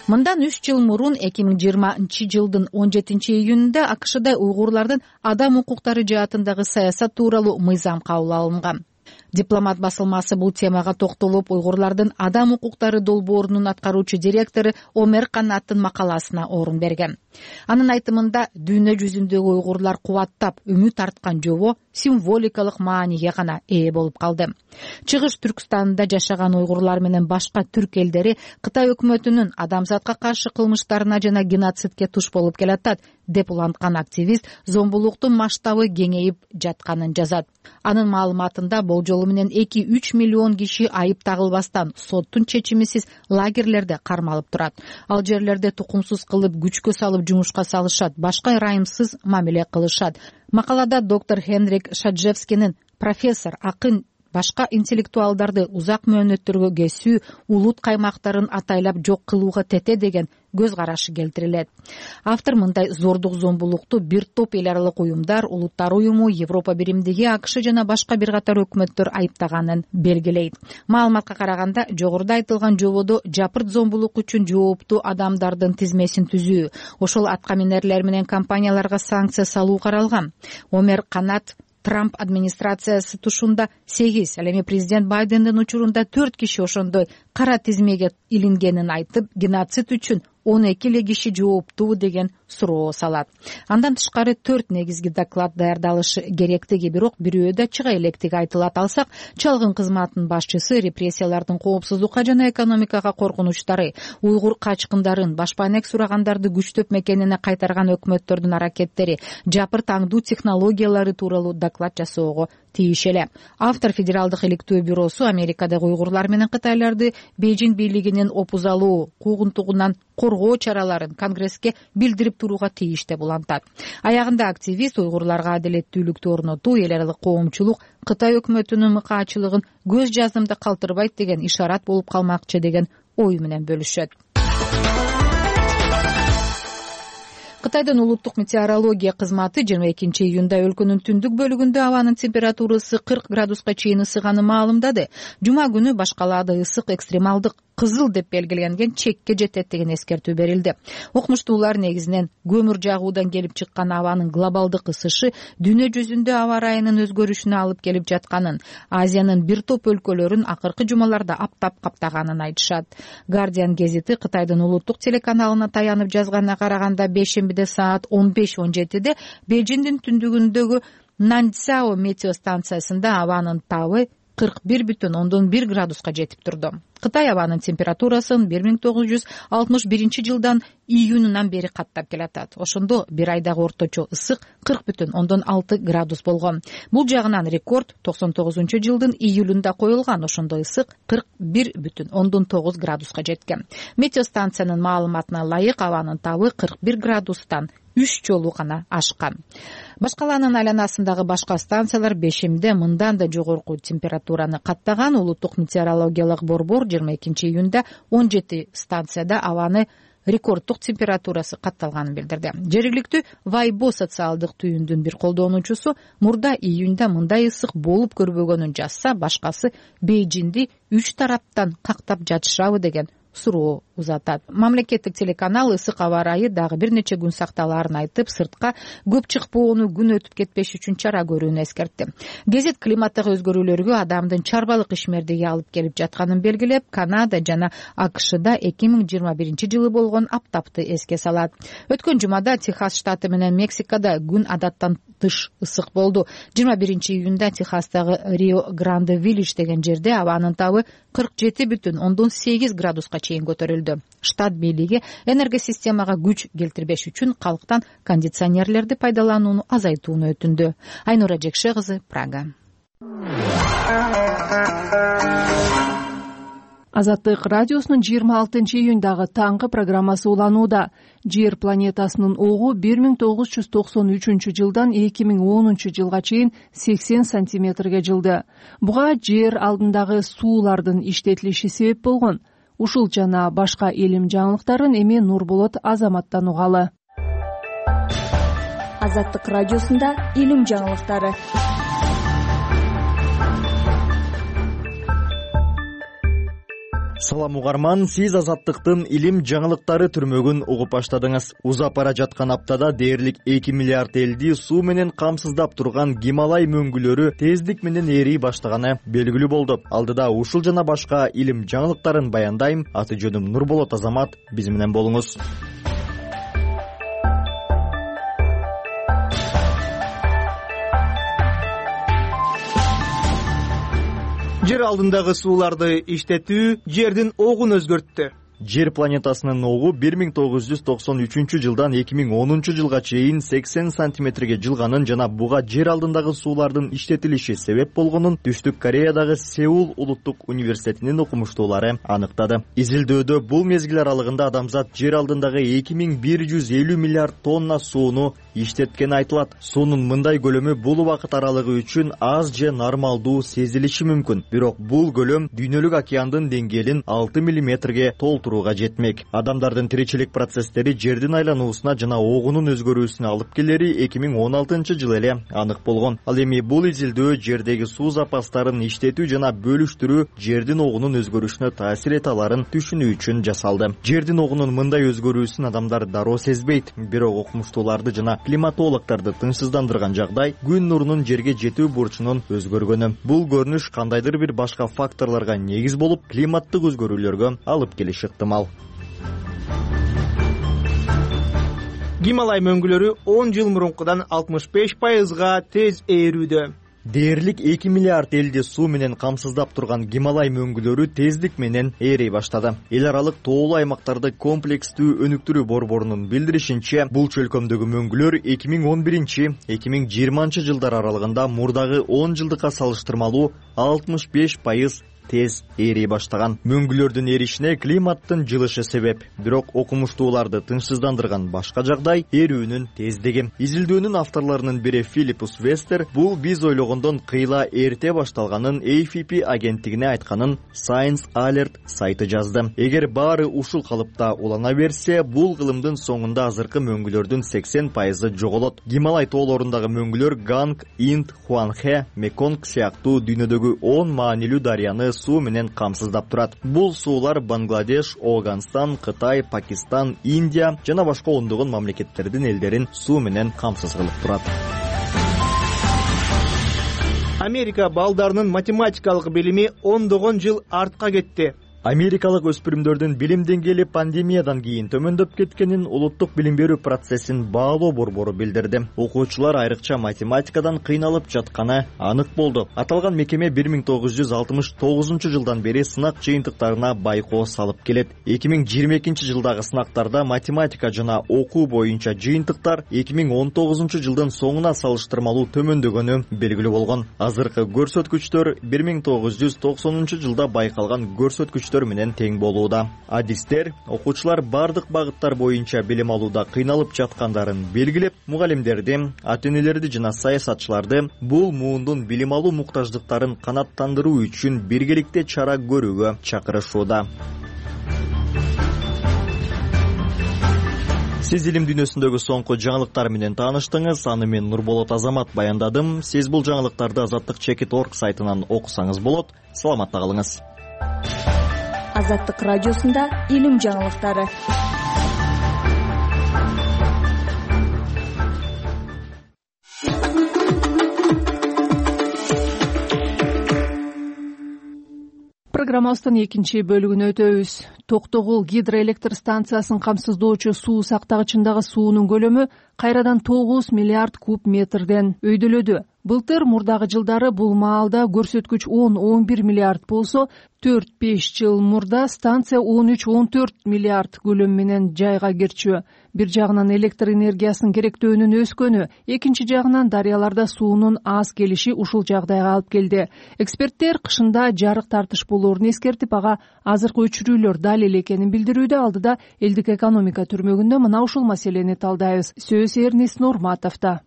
Мындан 3 жыл мурун 2020 жылдын 17 июнунда АКШда уйгурлардын адам укуктары жаатындагы саясат тууралуу мыйзам кабыл алынган. Дипломат басылмасы бул темага токтолуп, уйгурлардын адам укуктары долбоорунун аткаруучу директору Омер Канаттын макаласына орун берген. Анын айтымында, дүйнө жүзүндөгү уйгурлар кубаттап, үмүт арткан жобо символикалык мааниге гана ээ болуп калды. Чыгыш Түркстанда жашаган уйгурлар менен башка түрк элдери Кытай өкмөтүнүн адамзатка каршы кылмыштарына жана геноцидке туш болуп келатат, деп уланткан активист зомбулуктун масштабы кеңейип жатканын жазат. Анын маалыматында болжолу менен 2-3 миллион киши айып тагылбастан соттун чечимисиз лагерлерде кармалып турат. Ал жерлерде тукумсуз кылып, күчкө салып жумушка салышат, башка ырайымсыз мамиле кылышат. Макалада доктор Хенрик Шаджевскинин профессор, акын, башка интеллектуалдарды узак мөөнөттөргө кесүү, улут каймактарын атайлап жок кылууга тете деген көз карашы келтирилет. Автор мындай зордук зомбулукту бир топ эл аралык уюмдар, улуттар уюму, Европа биримдиги, АКШ жана башка бир катар өкмөттөр айыптаганын белгилейт. Маалыматка караганда, жогоруда айтылган жободо жапырт зомбулук үчүн жооптуу адамдардын тизмесин түзүү, ошол атка минерлер менен компанияларга санкция салуу каралган. Омер Канат Трамп администрациясы тушунда 8, ал эми президент Байдендин учурунда 4 киши ошондой кара тизмеге илингенин айтып, геноцид үчүн 12 эле киши жооптуу деген суроо салат. Андан тышкары 4 негизги доклад даярдалышы керектиги, бирок бирөө да чыга электиги айтылат. Алсак, чалгын кызматынын башчысы репрессиялардын коопсуздукка жана экономикага коркунучтары, уйгур качкындарын, башпанек сурагандарды күчтөп мекенине кайтарган өкмөттөрдүн аракеттери, жапырт аңдуу технологиялары тууралуу доклад жасоого тийиш эле. Автор Федералдык иликтөө бюросу Америкадагы уйгурлар менен кытайларды Бейжиң бийлигинин опузалуу, куугунтугунан коргоо чараларын Конгресске билдирип турууга тийиш деп улантат. Аягында активист уйгурларга адилеттүүлүктү орнотуу, эл аралык коомчулук Кытай өкмөтүнүн мыкаачылыгын көз жаздымда калтырбайт деген ишарат болуп калмакчы деген ой менен бөлүшөт. Кытайдын улуттук метеорология кызматы 22 июнда өлкөнүн түндүк бөлүгүндө абанын температурасы 40 градуска чейин ысыганын маалымдады. Жума күнү башкалаада ысык экстремалдык кызыл деп белгиленген чекке жетет деген эскертүү берилди. Окумуштуулар негизинен көмүр жагуудан келип чыккан абанын глобалдык ысышы дүйнө жүзүндө аба ырайынын өзгөрүшүнө алып келип жатканын, Азиянын бир топ өлкөлөрүн акыркы жумаларда аптап каптаганын айтышат. Guardian гезити Кытайдын улуттук телеканалына таянып жазганына караганда, бейшембиде саат 15:17 Бейжиңдин түндүгүндөгү Наньцао метеостанциясында абанын табы 41,1 градуска жетип турду. Кытай абанын температурасын 1961 жылдан июнунан бери каттап келатат. Ошондо бир айдагы орточо ысык 40,6 градус болгон. Бул жагынан рекорд 99 жылдын июлунда коюлган. Ошондо ысык 41,9 градуска жеткен. Метеостанциянын маалыматына ылайык абанын табы 41 градустан 3 жолу гана ашкан. Башкаланын айланасындагы башка станциялар бешемде мындан да жогорку температураны каттаган. Улуттук метеорологиялык борбор 22 июнда 17 станцияда абаны рекордтук температурасы катталганын билдирди. Жергиликтүү Вайбо социалдык түйүндүн бир колдонуучусу мурда июнда мындай ысык болуп көрбөгөнүн жазса, башкасы Бейжиңди 3 тараптан кактап жатышабы деген суроо узатат. Мамлекеттик телеканал ысык аба ырайы дагы бир нече күн сакталаарын айтып, сыртка көп чыкпоону, күн өтүп кетпеш үчүн чара көрүүнү эскертти. Гезит климаттагы өзгөрүүлөргө адамдын чарбалык ишмердиги алып келип жатканын белгилеп, Канада жана АКШда 2021 жылы болгон аптапты эске салат. Өткөн жумада Техас штаты менен Мексикада күн адаттан тыш ысык болду. 21 июнда Техастагы Рио-Гранде-Виллидж деген жерде абанын табы 47,8 градуска чейин көтөрүлдү. Штат бийлиги энергосистемага күч келтирбеш үчүн калктан кондиционерлерди пайдаланууну азайтууну өтүндү. Айнура Жекше кызы, Прага. Азаттык радиосунун 26-июндагы таңкы программасы уланууда. Жер планетасынын огу 1993-жылдан 2010-жылга чейин 80 сантиметрге жылды. Буга жер алдындагы суулардын иштетилиши себеп болгон. Ушул жана башка илим жаңылыктарын эми Нурболот Азаматтан угалы. Азаттык радиосунда илим жаңылыктары. Салам угарман, сиз Азаттыктын илим жаңылыктары түрмөгүн угуп баштадыңыз. Узап бара жаткан аптада дээрлик 2 миллиард элди суу менен камсыздап турган Гималай мөңгүлөрү тездик менен ээрий баштаганы белгилүү болду. Алдыда ушул жана башка илим жаңылыктарын баяндайм. Аты жөнүм Нурболот Азамат. Биз менен болуңуз. Жер алдындагы сууларды иштетүү жердин огун өзгөрттү. Жер планетасынын огу 1993-жылдан 2010-жылга чейин 80 сантиметрге жылганын жана буга жер алдындагы суулардын иштетилиши себеп болгонун Түштүк Кореядагы Сеул улуттук университетинин окумуштуулары аныктады. Изилдөөдө бул мезгил аралыгында адамзат жер алдындагы 2150 миллиард тонна сууну иштеткени айтылат. Суунун мындай көлөмү бул убакыт аралыгы үчүн аз же нормалдуу сезилиши мүмкүн. Бирок бул көлөм дүйнөлүк океандын деңгээлин 6 миллиметрге толтурууга жетмек. Адамдардын тиричилик процесстери жердин айлануусуна жана огунун өзгөрүүсүнө алып келери 2016-жылы эле анык болгон. Ал эми бул изилдөө жердеги суу запастарын иштетүү жана бөлүштүрүү жердин огунун өзгөрүшүнө таасир эте аларын түшүнүү үчүн жасалды. Жердин огунун мындай өзгөрүүсүн адамдар дароо сезбейт. Бирок окумуштууларды жана климатологдорду тынчсыздандырган жагдай күн нурунун жерге жетүү бурчунун өзгөргөнү. Бул көрүнүш кандайдыр бир башка факторлорго негиз болуп, климаттык өзгөрүүлөргө алып келиши ыктымал. Гималай мөңгүлөрү 10 жыл мурункудан 65%га тез ээрүүдө. Дээрлик 2 миллиард элди суу менен камсыздап турган Гималай мөңгүлөрү тездик менен ээрей баштады. Эл аралык тоолуу аймактарды комплекстүү өнүктүрүү борборунун билдиришинче, бул чөлкөмдөгү мөңгүлөр 2011-2020 жылдар аралыгында мурдагы 10 жылдыкка салыштырмалуу 65% тез ээрей баштаган. Мөңгүлөрдүн эришине климаттын жылышы себеп. Бирок окумуштууларды тынчсыздандырган башка жагдай эрүүнүн тездиги. Изилдөөнүн авторлорунун бири Филиппус Вестер бул биз ойлогондон кыйла эрте башталганын AFP агенттигине айтканын Science Alert сайты жазды. Эгер баары ушул калыпта улана берсе, бул кылымдын соңунда азыркы мөңгүлөрдүн 80% жоголот. Гималай тоолорундагы мөңгүлөр Ганг, Инд, Хуанхэ, Меконг сыяктуу дүйнөдөгү 10 маанилүү дарыяны суу менен камсыздап турат. Бул суулар Бангладеш, Афганистан, Кытай, Пакистан, Индия жана башка ондогон мамлекеттердин элдерин суу менен камсыз кылып турат. Америка балдарынын математикалык билими ондогон жыл артка кетти. Америкалык өспүрүмдөрдүн билим деңгээли пандемиядан кийин төмөндөп кеткенин улуттук билим берүү процессин баалоо борбору билдирди. Окуучулар айрыкча математикадан кыйналып жатканы анык болду. Аталган мекеме 1969-жылдан бери сынак жыйынтыктарына байкоо салып келет. 2022 жылдагы сынактарда математика жана окуу боюнча жыйынтыктар 2019-жылдын соңуна салыштырмалуу төмөндөгөнү белгилүү болгон. Азыркы көрсөткүчтөр 1990-жылда байкалган көрсөткүч менен тең болууда. Адистер окуучулар бардык багыттар боюнча билим алууда кыйналып жаткандарын белгилеп, мугалимдерди, ата-энелерди жана саясатчыларды бул муундун билим алуу муктаждыктарын канааттандыруу үчүн биргеликте чара көрүүгө чакырышууда. Сиз илим дүйнөсүндөгү соңку жаңылыктар менен тааныштыңыз. Аны мен Нурболот Азамат баяндадым. Сиз бул жаңылыктарды Азаттык.org сайтынан окусаңыз болот. Саламатта калыңыз. Азаттык радиосунда илим жаңылыктары. Программабыздын экинчи бөлүгүнө өтөбүз. Токтогул гидроэлектр станциясын камсыздоочу суу сактагычындагы суунун көлөмү кайрадан 9 миллиард куб метрден өйдөлөдү. Былтыр мурдагы жылдары бул маалда көрсөткүч 10-11 миллиард болсо, 4-5 жыл мурда станция 13-14 миллиард көлөм менен жайга кирчү. Бир жагынан электр энергиясынын керектөөнүн өскөнү, экинчи жагынан дарыяларда суунун аз келиши ушул жагдайга алып келди. Эксперттер кышында жарык тартыш болоорун эскертип, ага азыркы өчүрүүлөр далил экенин билдирүүдө. Алдыда элдик экономика түрмөгүндө мына ушул маселени талдайбыз. Сөз Эрнест Нурматовдо.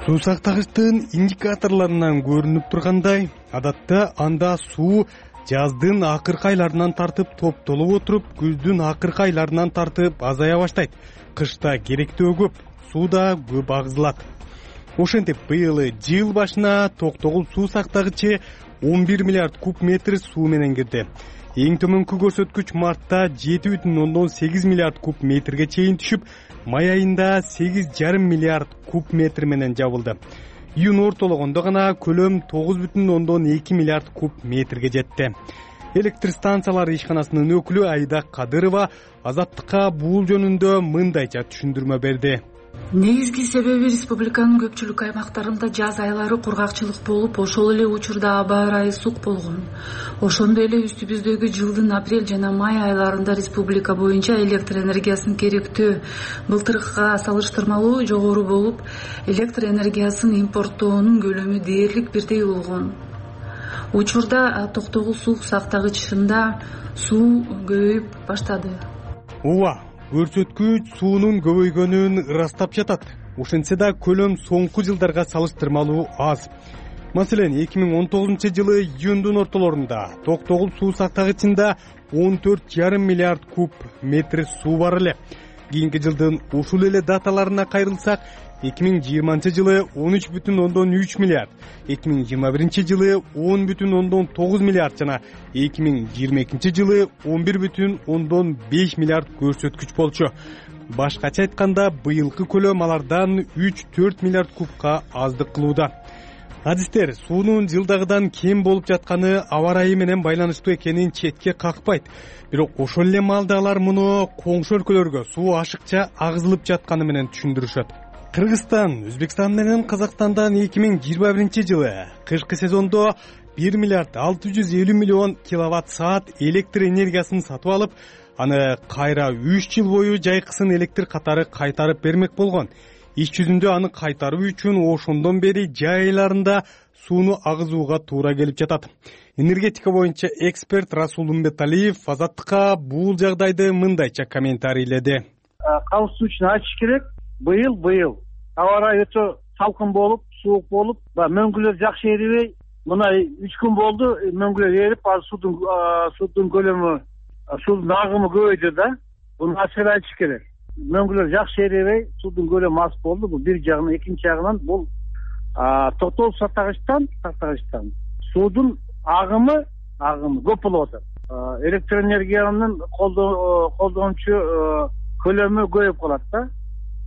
Суу сактагычтын индикаторлорунан көрүнүп тургандай, адатта анда суу жаздын акыркы айларынан тартып топтолуп отуруп, күздүн акыркы айларынан тартып азая баштайт. Кышта керектөө көп, суу да көп агызылат. Ошентип быйыл жыл башына Токтогул суу сактагычы 11 миллиард куб метр суу менен кирди. Эң төмөнкү көрсөткүч мартта 7,8 миллиард куб метрге чейин түшүп, май айында 8,5 миллиард куб метр менен жабылды. Июнь ортологондо гана көлөм 9,2 миллиард куб метрге жетти. Электр станциялары ишканасынын өкүлү Айда Кадырова Азаттыкка бул жөнүндө мындайча түшүндүрмө берди. Негизги себеби республиканын көпчүлүк аймактарында жаз айлары кургакчылык болуп, ошол эле учурда аба ырайы сук болгон. Ошондой эле үстүбүздөгү жылдын апрель жана май айларында республика боюнча электр энергиясынын керектөө былтыркыга салыштырмалуу жогору болуп, электр энергиясын импорттоонун көлөмү дээрлик бирдей болгон. Учурда Токтогул суу сактагычында суу көбөйүп баштады. Ооба, көрсөткүч суунун көбөйгөнүн ырастап жатат. Ошентсе да көлөм соңку жылдарга салыштырмалуу аз. Маселен, 2019 жылы июндун ортолорунда Токтогул суу сактагычында 14,5 миллиард куб метр суу бар эле. Кийинки жылдын ушул эле даталарына кайрылсак, 2020 жылы 13,3 миллиард, 2021 жылы 10,9 миллиард жана 2022 жылы 11,5 миллиард көрсөткүч болчу. Башкача айтканда, быйылкы көлөм алардан 3-4 миллиард кубка аздык кылууда. Адистер суунун жылдагыдан кем болуп жатканы аба ырайы менен байланыштуу экенин четке какпайт. Бирок ошол эле маалда алар муну коңшу өлкөлөргө суу ашыкча агызылып жатканы менен түшүндүрүшөт. Кыргызстан, Өзбекстан менен Казакстандан 2021 жылы кышкы сезондо 1 миллиард 650 миллион киловатт саат электр энергиясын сатып алып, аны кайра 3 жыл бою жайкысын электр катары кайтарып бермек болгон. Иш жүзүндө аны кайтаруу үчүн ошондон бери жай айларында сууну агызууга туура келип жатат. Энергетика боюнча эксперт Расул Умбеталиев Азаттыкка бул жагдайды мындайча комментарийледи. Кауышуу үчүн айтыш керек. Быйыл аба ырайы өтө салкын болуп, суук болуп, мөңгүлөр жакшы эрибей, мына 3 күн болду, мөңгүлөр эрип, суудун көлөмү, суудун агымы көбөйдү да. Буну ачык айтыш керек. Мөңгүлөр жакшы эрибей, суудун көлөмү аз болду. Бул бир жагынан, экинчи жагынан бул Токтогул сактагычтан суудун агымы көп болуп атат. Электр энергиянын колдончу көлөмү көбөйүп калат да.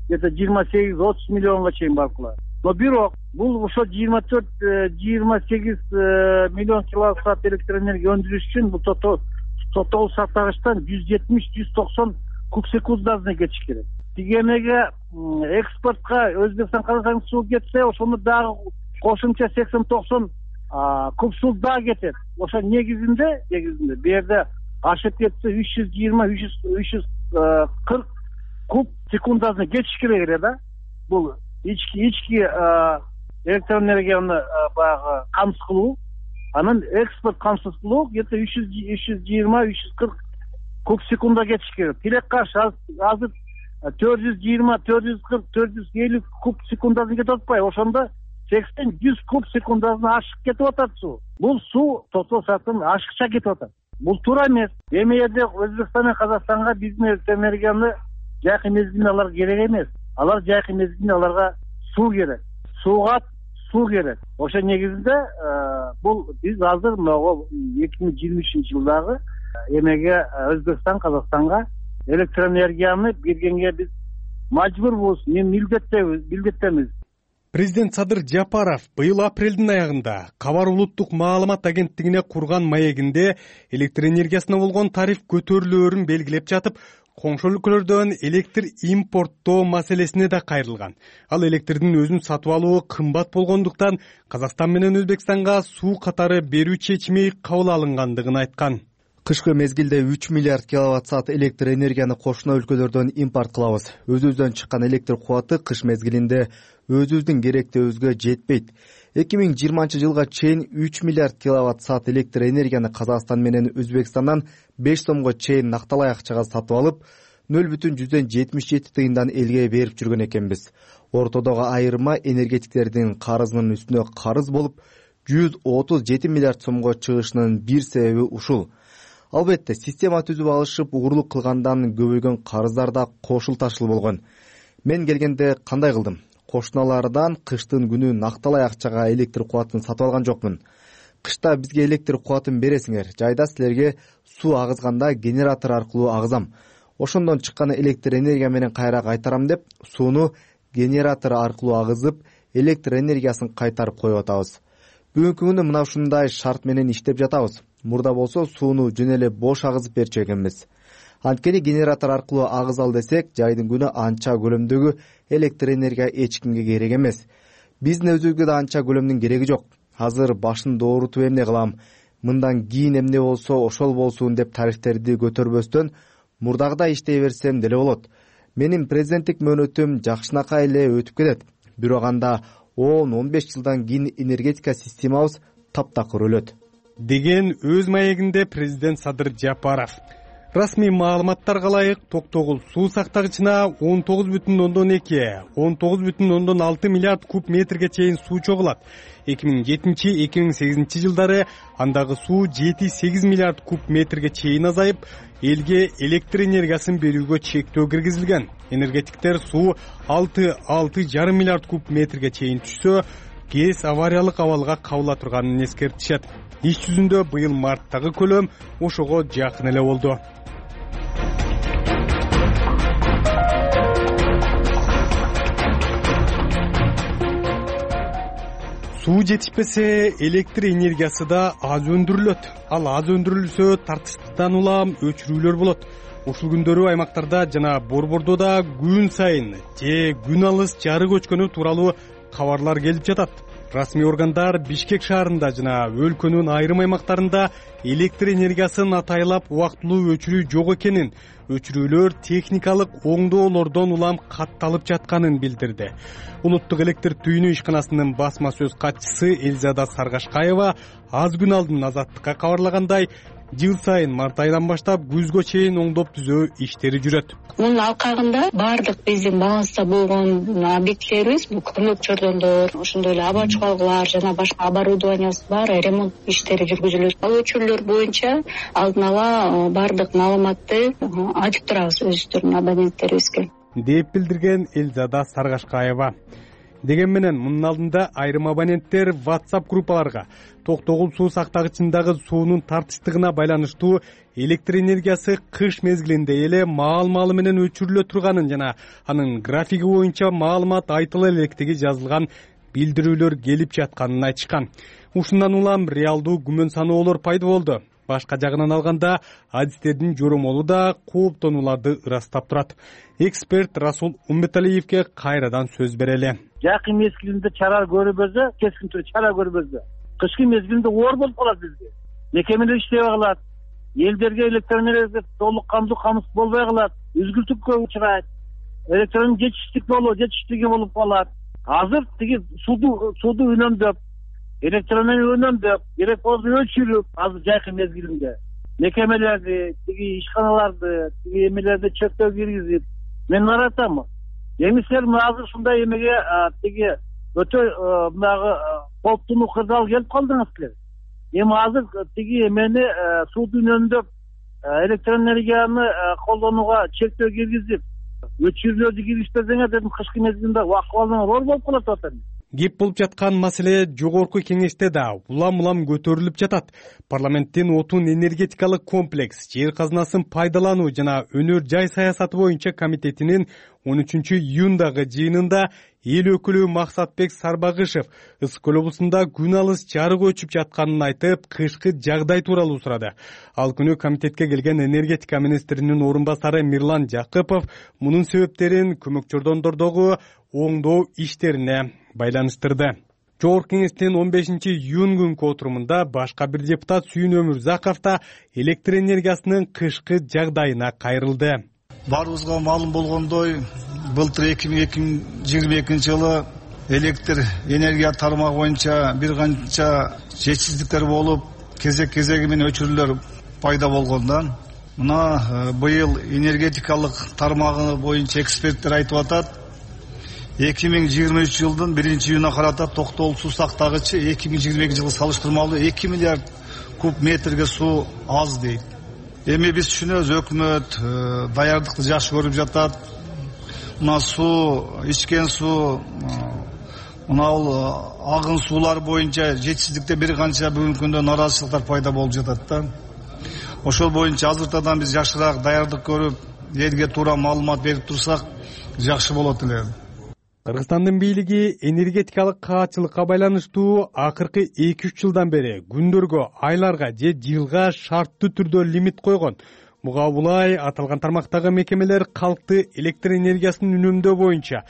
Где-то 28-30 миллионга чейин барып калат. Но бирок бул ошо 24-28 миллион киловатт саат электр энергия өндүрүш үчүн бул Токтогул сактагычтан 170-190 куб секундасына кетиш керек. Тигемеге экспортко Өзбекстан, Казакстан суу кетсе, ошону дагы кошумча 80-90 куб суу дагы кетет. Ошо негизинде бу жерде ашып кетсе 320-340 куб секундасына кетиш керек эле да. Бул ички электр энергияны баягы камсыз кылуу, анан экспорт камсыз кылуу где-то 320-340 куб секунда кетиш керек. Тилек каршы азыр 420-440-450 куб секундасына кетип атпайбы? Ошондо 80-100 куб секундасына ашып кетип атат суу. Бул суу Токтогул сактан ашыкча кетип атат. Бул туура эмес. Эми жерде Өзбекстан менен Казакстанга биздин электр энергияны жайкы мезгилинде алар керек эмес. Алар жайкы мезгилинде аларга суу керек. Сууга суу керек. Ошо негизинде бул биз азыр 2023-жылдагы эмеге Өзбекстан, Казакстанга электр энергияны бергенге биз мажбурбуз, милдеттемиз. Президент Садыр Жапаров быйыл апрелдин аягында Кабар улуттук маалымат агенттигине курган маегинде электр энергиясына болгон тариф көтөрүлөөрүн белгилеп жатып, коңшу өлкөлөрдөн электр импорттоо маселесине да кайрылган. Ал электрдин өзүн сатып алуу кымбат болгондуктан Казакстан менен Өзбекстанга суу катары берүү чечими кабыл алынгандыгын айткан. Кышкы мезгилде 3 миллиард киловатт-саат электр энергияны кошуна өлкөлөрдөн импорт кылабыз. Өзүбүздөн чыккан электр кубаты кыш мезгилинде өзүбүздүн керектөөбүзгө жетпейт. 2020 жылга чейин 3 миллиард киловатт-саат электр энергияны Казакстан менен Өзбекстандан 5 сомго чейин накталай акчага сатып алып, 0,77 тыйындан элге берип жүргөн экенбиз. Ортодогу айырма энергетиктердин карызынын үстүнө карыз болуп, 137 миллиард сомго чыгышынын бир себеби ушул. Албетте, система түзүп алышып, угурлук кылгандан көбөйгөн карыздар да кошулташыл болгон. Мен келгенде кандай кылдым? Кошуналардан кыштын күнү накталай акчага электр кубатын сатып алган жокмун. Кышта бизге электр кубатын бересиңер, жайда силерге суу агызганда генератор аркылуу агызам. Ошондон чыккан электр энергия менен кайра кайтарам деп, сууну генератор аркылуу агызып, электр энергиясын кайтарып коюп атабыз. Бүгүнкү күнү мына ушундай шарт менен иштеп жатабыз. Мурда болсо сууну жөн эле бош агызып берчү экенбиз. Анткени генератор аркылуу агызал десек, жайдын күнү анча көлөмдөгү электр энергия эч кимге керек эмес. Биздин өзүбүзгө да анча көлөмдүн кереги жок. Азыр башын доорутуп эмне кылам? Мындан кийин эмне болсо ошол болсун деп тарифтерди көтөрбөстөн мурдагыдай иштей берсем деле болот. Менин президенттик мөөнөтүм жакшынакай эле өтүп кетет. Бирок анда 10-15 жылдан кийин энергетика системабыз таптакыр өлөт деген өз маегинде президент Садыр Жапаров. Расмий маалыматтарга ылайык Токтогул суу сактагычына 19,2-19,6 миллиард куб метрге чейин суу чогулат. 2007-2008 жылдары андагы суу 7-8 миллиард куб метрге чейин азайып, элге электр энергиясын берүүгө чектөө киргизилген. Энергетиктер суу 6-6,5 миллиард куб метрге чейин түшсө, КЭС авариялык абалга кабыла турганын эскертишет. Иш жүзүндө быйыл марттагы көлөм ошого жакын эле болду. Суу жетишпесе, электр энергиясы да аз өндүрүлөт. Ал аз өндүрүлсө, тартыштан улам өчүрүүлөр болот. Ушул күндөрү аймактарда жана Борбордо да күн сайын же күн алыс жары көчкөнү тууралуу кабарлар келип жатат. Расмий органдар Бишкек шаарында жана өлкөнүн айрым аймактарында электр энергиясын атайлап убактылуу өчүрүү жок экенин, өчүрүүлөр техникалык оңдоолордон улам катталып жатканын билдирди. Улуттук электр түйүнү ишканасынын басма сөз катчысы Элзада Саргашкаева аз күн алдын Азаттыкка кабарлагандай, жыл сайын март айынан баштап күзгө чейин оңдоп түзөө иштери жүрөт. Мунун алкагында баардык биздин баланста болгон объектилерибиз, бул көмөк чордондор, ошондой эле аба чугалгылар жана башка оборудованиябыз баары ремонт иштери жүргүзүлөт. Ал өчүрүүлөр боюнча алдын ала баардык маалыматты айтып турабыз өзүбүздүн абоненттерибизге, деп билдирген Элзада Саргашкаева. Деген менен мунун алдында айрым абоненттер WhatsApp группаларга Токтогул суу сактагычындагы суунун тартыштыгына байланыштуу электр энергиясы кыш мезгилинде эле маал-маалы менен өчүрүлө турганын жана анын графиги боюнча маалымат айтыла электиги жазылган билдирүүлөр келип жатканын айтышкан. Ушундан улам реалдуу күмөн саноолор пайда болду. Башка жагынан алганда, адистердин жоромолу да кооптонууларды ырастап турат. Эксперт Расул Умбеталиевке кайрадан сөз берели. Жакын мезгилинде чара көрбөзө, кескин түрдө чара көрбөзө. Кышкы мезгилинде оор болуп калат бизге. Мекемелер иштебей калат. Элдерге электр энергиясы толук камсыз болбой калат. Үзгүлтүккө учурайт. Электронун жетиштиги болуп калат. Азыр тиги сууду үнөмдөп, электроэнергия үнөмдөп, керек болсо өчүрүп, азыр жакын мезгилинде мекемелерди, тиги ишканаларды, тиги эмелерди чектөө киргизип, мен наратам. Эмисилер азыр ушундай эмеге тиги өтө мынагы кооптуу кырдаал келип калдыңыз силер. Эми азыр тиги эмени сууду үнөмдөп, электроэнергияны колдонууга чектөө киргизип, өчүрүүлөрдү киргизбесеңер дедим, кышкы мезгилинде акыбалыңар оор болуп калат атат. Кеп болуп жаткан маселе жогорку кеңеште да улам көтөрүлүп жатат. Парламенттин отун энергетикалык комплекс, жер казынасын пайдалануу жана өнөр жай саясаты боюнча комитетинин 13-июндагы жыйынында эл өкүлү Максатбек Сарбагышев Ысык көл облусунда күн алыс жарык өчүп жатканын айтып, кышкы жагдай тууралуу сурады. Ал күнү комитетке келген энергетика министринин орун басары Мирлан Жакыпов мунун себептерин көмөкчөрдондордогу оңдоо иштерине байланыштырды. Жогорку кеңештин 15-июнь күнкү отурумунда башка бир депутат Сүйүн Өмүрзаков да электр энергиясынын кышкы жагдайына кайрылды. Баарыбызга маалым болгондой, былтыр 2022 жылы электр энергия тармагы боюнча бир канча жетишсиздиктер болуп, кезек-кезеги менен өчүрүүлөр пайда болгондан, мына быйыл энергетикалык тармагы боюнча эксперттер айтып атат, 2023 жылдын 1-июнуна карата токтолуусу сактагычы 2022 жылы салыштырмалуу 2 миллиард куб метрге суу аз дейт. Эми биз түшүнөбүз, өкмөт даярдыкты жакшы көрүп жатат. Мына суу, ичкен суу, мына агын суулар боюнча жетишсиздикте бир канча бүгүнкү күндө нараазычылыктар пайда болуп жатат да. Ошол боюнча азыртадан биз жакшыраак даярдык көрүп, элге туура маалымат берип турсак жакшы болот эле. Кыргызстандын бийлиги энергетикалык каатчылыкка байланыштуу акыркы 2-3 жылдан бери күндөргө, айларга же жылга шарттуу түрдө лимит койгон. Буга улай аталган тармактагы мекемелер калкты электр энергиясын үнөмдөө боюнча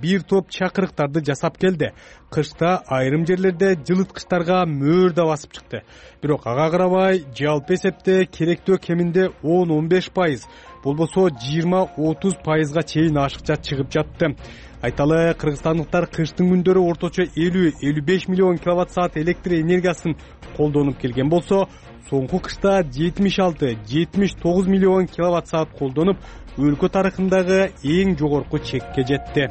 бир топ чакырыктарды жасап келди. Кышта айрым жерлерде жылыткычтарга мөөр да басып чыкты. Бирок ага карабай, жалпы эсепте керектөө кеминде 10-15%, болбосо 20-30%га чейин ашыкча чыгып жатты. Айталы, кыргызстандыктар кыштын күндөрү орточо 50-55 миллион киловатт-саат электр энергиясын колдонуп келген болсо, соңку кышта 76-79 миллион киловатт-саат колдонуп, өлкө тарыхындагы эң жогорку чекке жетти.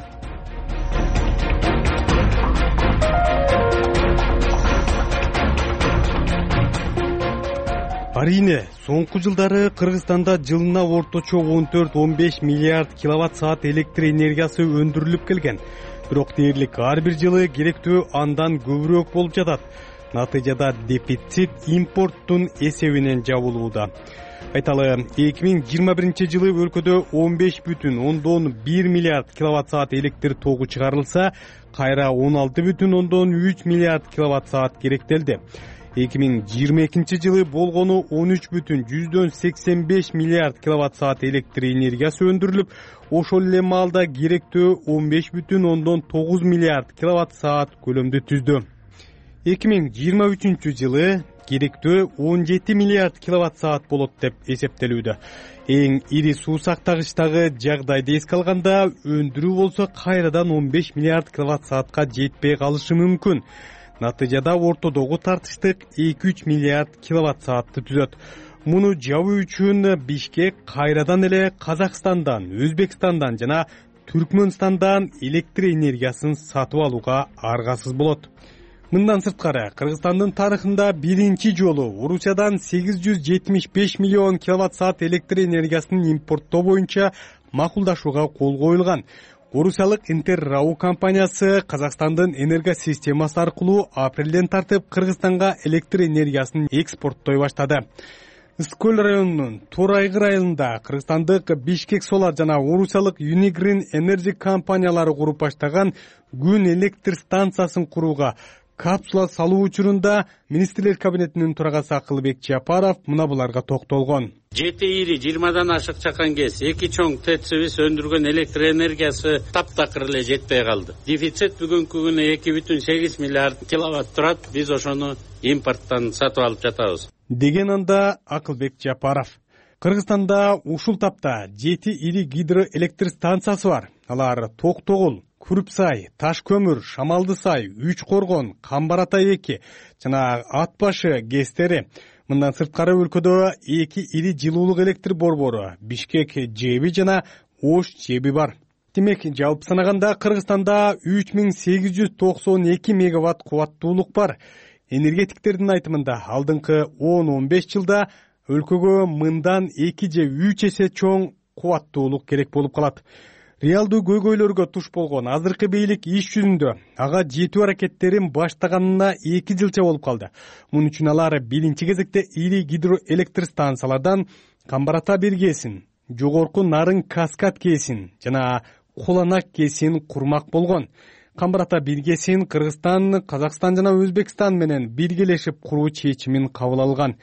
Арийне, соңку жылдары Кыргызстанда жылына орточо 14-15 миллиард киловатт-саат электр энергиясы өндүрүлүп келген. Бирок дээрлик ар бир жылы керектүү андан көбүрөөк болуп жатат. Натыйжада дефицит импорттун эсебинен жабылууда. Айталы, 2021 жылы өлкөдө 15,1 миллиард киловатт-саат электр тогу чыгарылса, кайра 16,3 миллиард киловатт-саат керектелди. 2022 жылы болгону 13,85 миллиард киловатт-саат электр энергиясы өндүрүлүп, ошол эле маалда керектөө 15,9 миллиард киловатт-саат көлөмдү түздү. 2023 жылы керектөө 17 миллиард киловатт-саат болот деп эсептелүүдө. Эң ири суу сактагычтагы жагдайды эске алганда, өндүрүү болсо кайрадан 15 миллиард киловатт-саатка жетпей калышы мүмкүн. Натыйжада ортодогу тартыштык 2-3 миллиард киловатт-саатты түзөт. Муну жабуу үчүн Бишкек кайрадан эле Казакстандан, Өзбекстандан жана Түркмөнстандан электр энергиясын сатып алууга аргасыз болот. Мындан сырткары, Кыргызстандын тарыхында биринчи жолу Орусиядан 875 миллион киловатт-саат электр энергиясын импорттоо боюнча макулдашууга кол коюлган. Орусиялык Интеррау компаниясы Казакстандын энергосистемасы аркылуу апрелден тартып Кыргызстанга электр энергиясын экспорттой баштады. Ысык көл районунун Турайгы айылында кыргызстандык Бишкек Solar жана орусиялык Unigrin Energy компаниялары куруп баштаган күн электр станциясын курууга капсула салуу учурунда министрлер кабинетинин төрагасы Акылбек Жапаров мына буларга токтолгон. 7 ири 20дан ашык чакан кез 2 чоң ТЭЦибиз өндүргөн электр энергиясы таптакыр эле жетпей калды. Дефицит бүгүнкү күнү 2,8 миллиард киловатт турат. Биз ошону импорттон сатып алып жатабыз. Деген анда Акылбек Жапаров. Кыргызстанда ушул тапта 7 ири гидроэлектр станциясы бар. Алар Токтогул, Күрүпсай, Таш көмүр, Шамалдысай, Үч Коргон, Камбар Атай 2 жана Ат башы ГЭСтери. Мындан сырткары өлкөдө 2 ири жылуулук электр борбору, Бишкек ЖЭБи жана Ош ЖЭБи бар. Демек, жалпы санаганда Кыргызстанда 3892 мегаватт кубаттуулук бар. Энергетиктердин айтымында алдыңкы 10-15 жылда өлкөгө мындан 2 же 3 эсе чоң кубаттуулук керек болуп калат. реалдуу көйгөйлөргө туш болгон азыркы бийлик иш жүзүндө ага жетүү аракеттерин баштаганына 2 жылча болуп калды. Муну үчүн алар биринчи кезекте ири гидроэлектр станциялардан Камбар-Ата бир кээсин, жогорку Нарын Каскад кээсин жана Куланак кээсин курмак болгон. Камбар-Ата бир кээсин Кыргызстан, Казакстан жана Өзбекстан менен биргелешип куруу чечимин кабыл алган.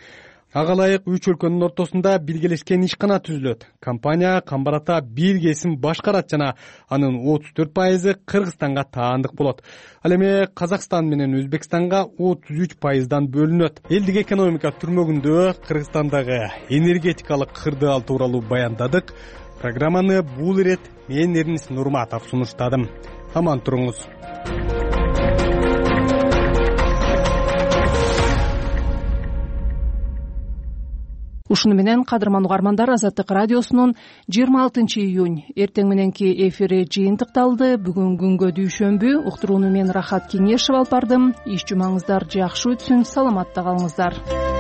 Ага ылайык 3 өлкөнүн ортосунда биргелешкен ишкана түзүлөт. Компания Камбар-Ата бир кээсин башкарат жана анын 34% Кыргызстанга таандык болот. Ал эми Казакстан менен Өзбекстанга 33%дан бөлүнөт. Элдик экономика түрмөгүндө Кыргызстандагы энергетикалык кырдаал тууралуу баяндадык. Программаны бул ирет мен Эрнис Нурматов сунуштадым. Аман туруңуз. Ушуну менен кадырман угармандар, Азаттык радиосунун 26 июнь эртең мененки эфири жыйынтыкталды. Бүгүн күнгө дүйшөмбү. Уктурууну мен Рахат Кеңешев алып бардым. Иш жумаңыздар жакшы өтсүн, саламатта калыңыздар.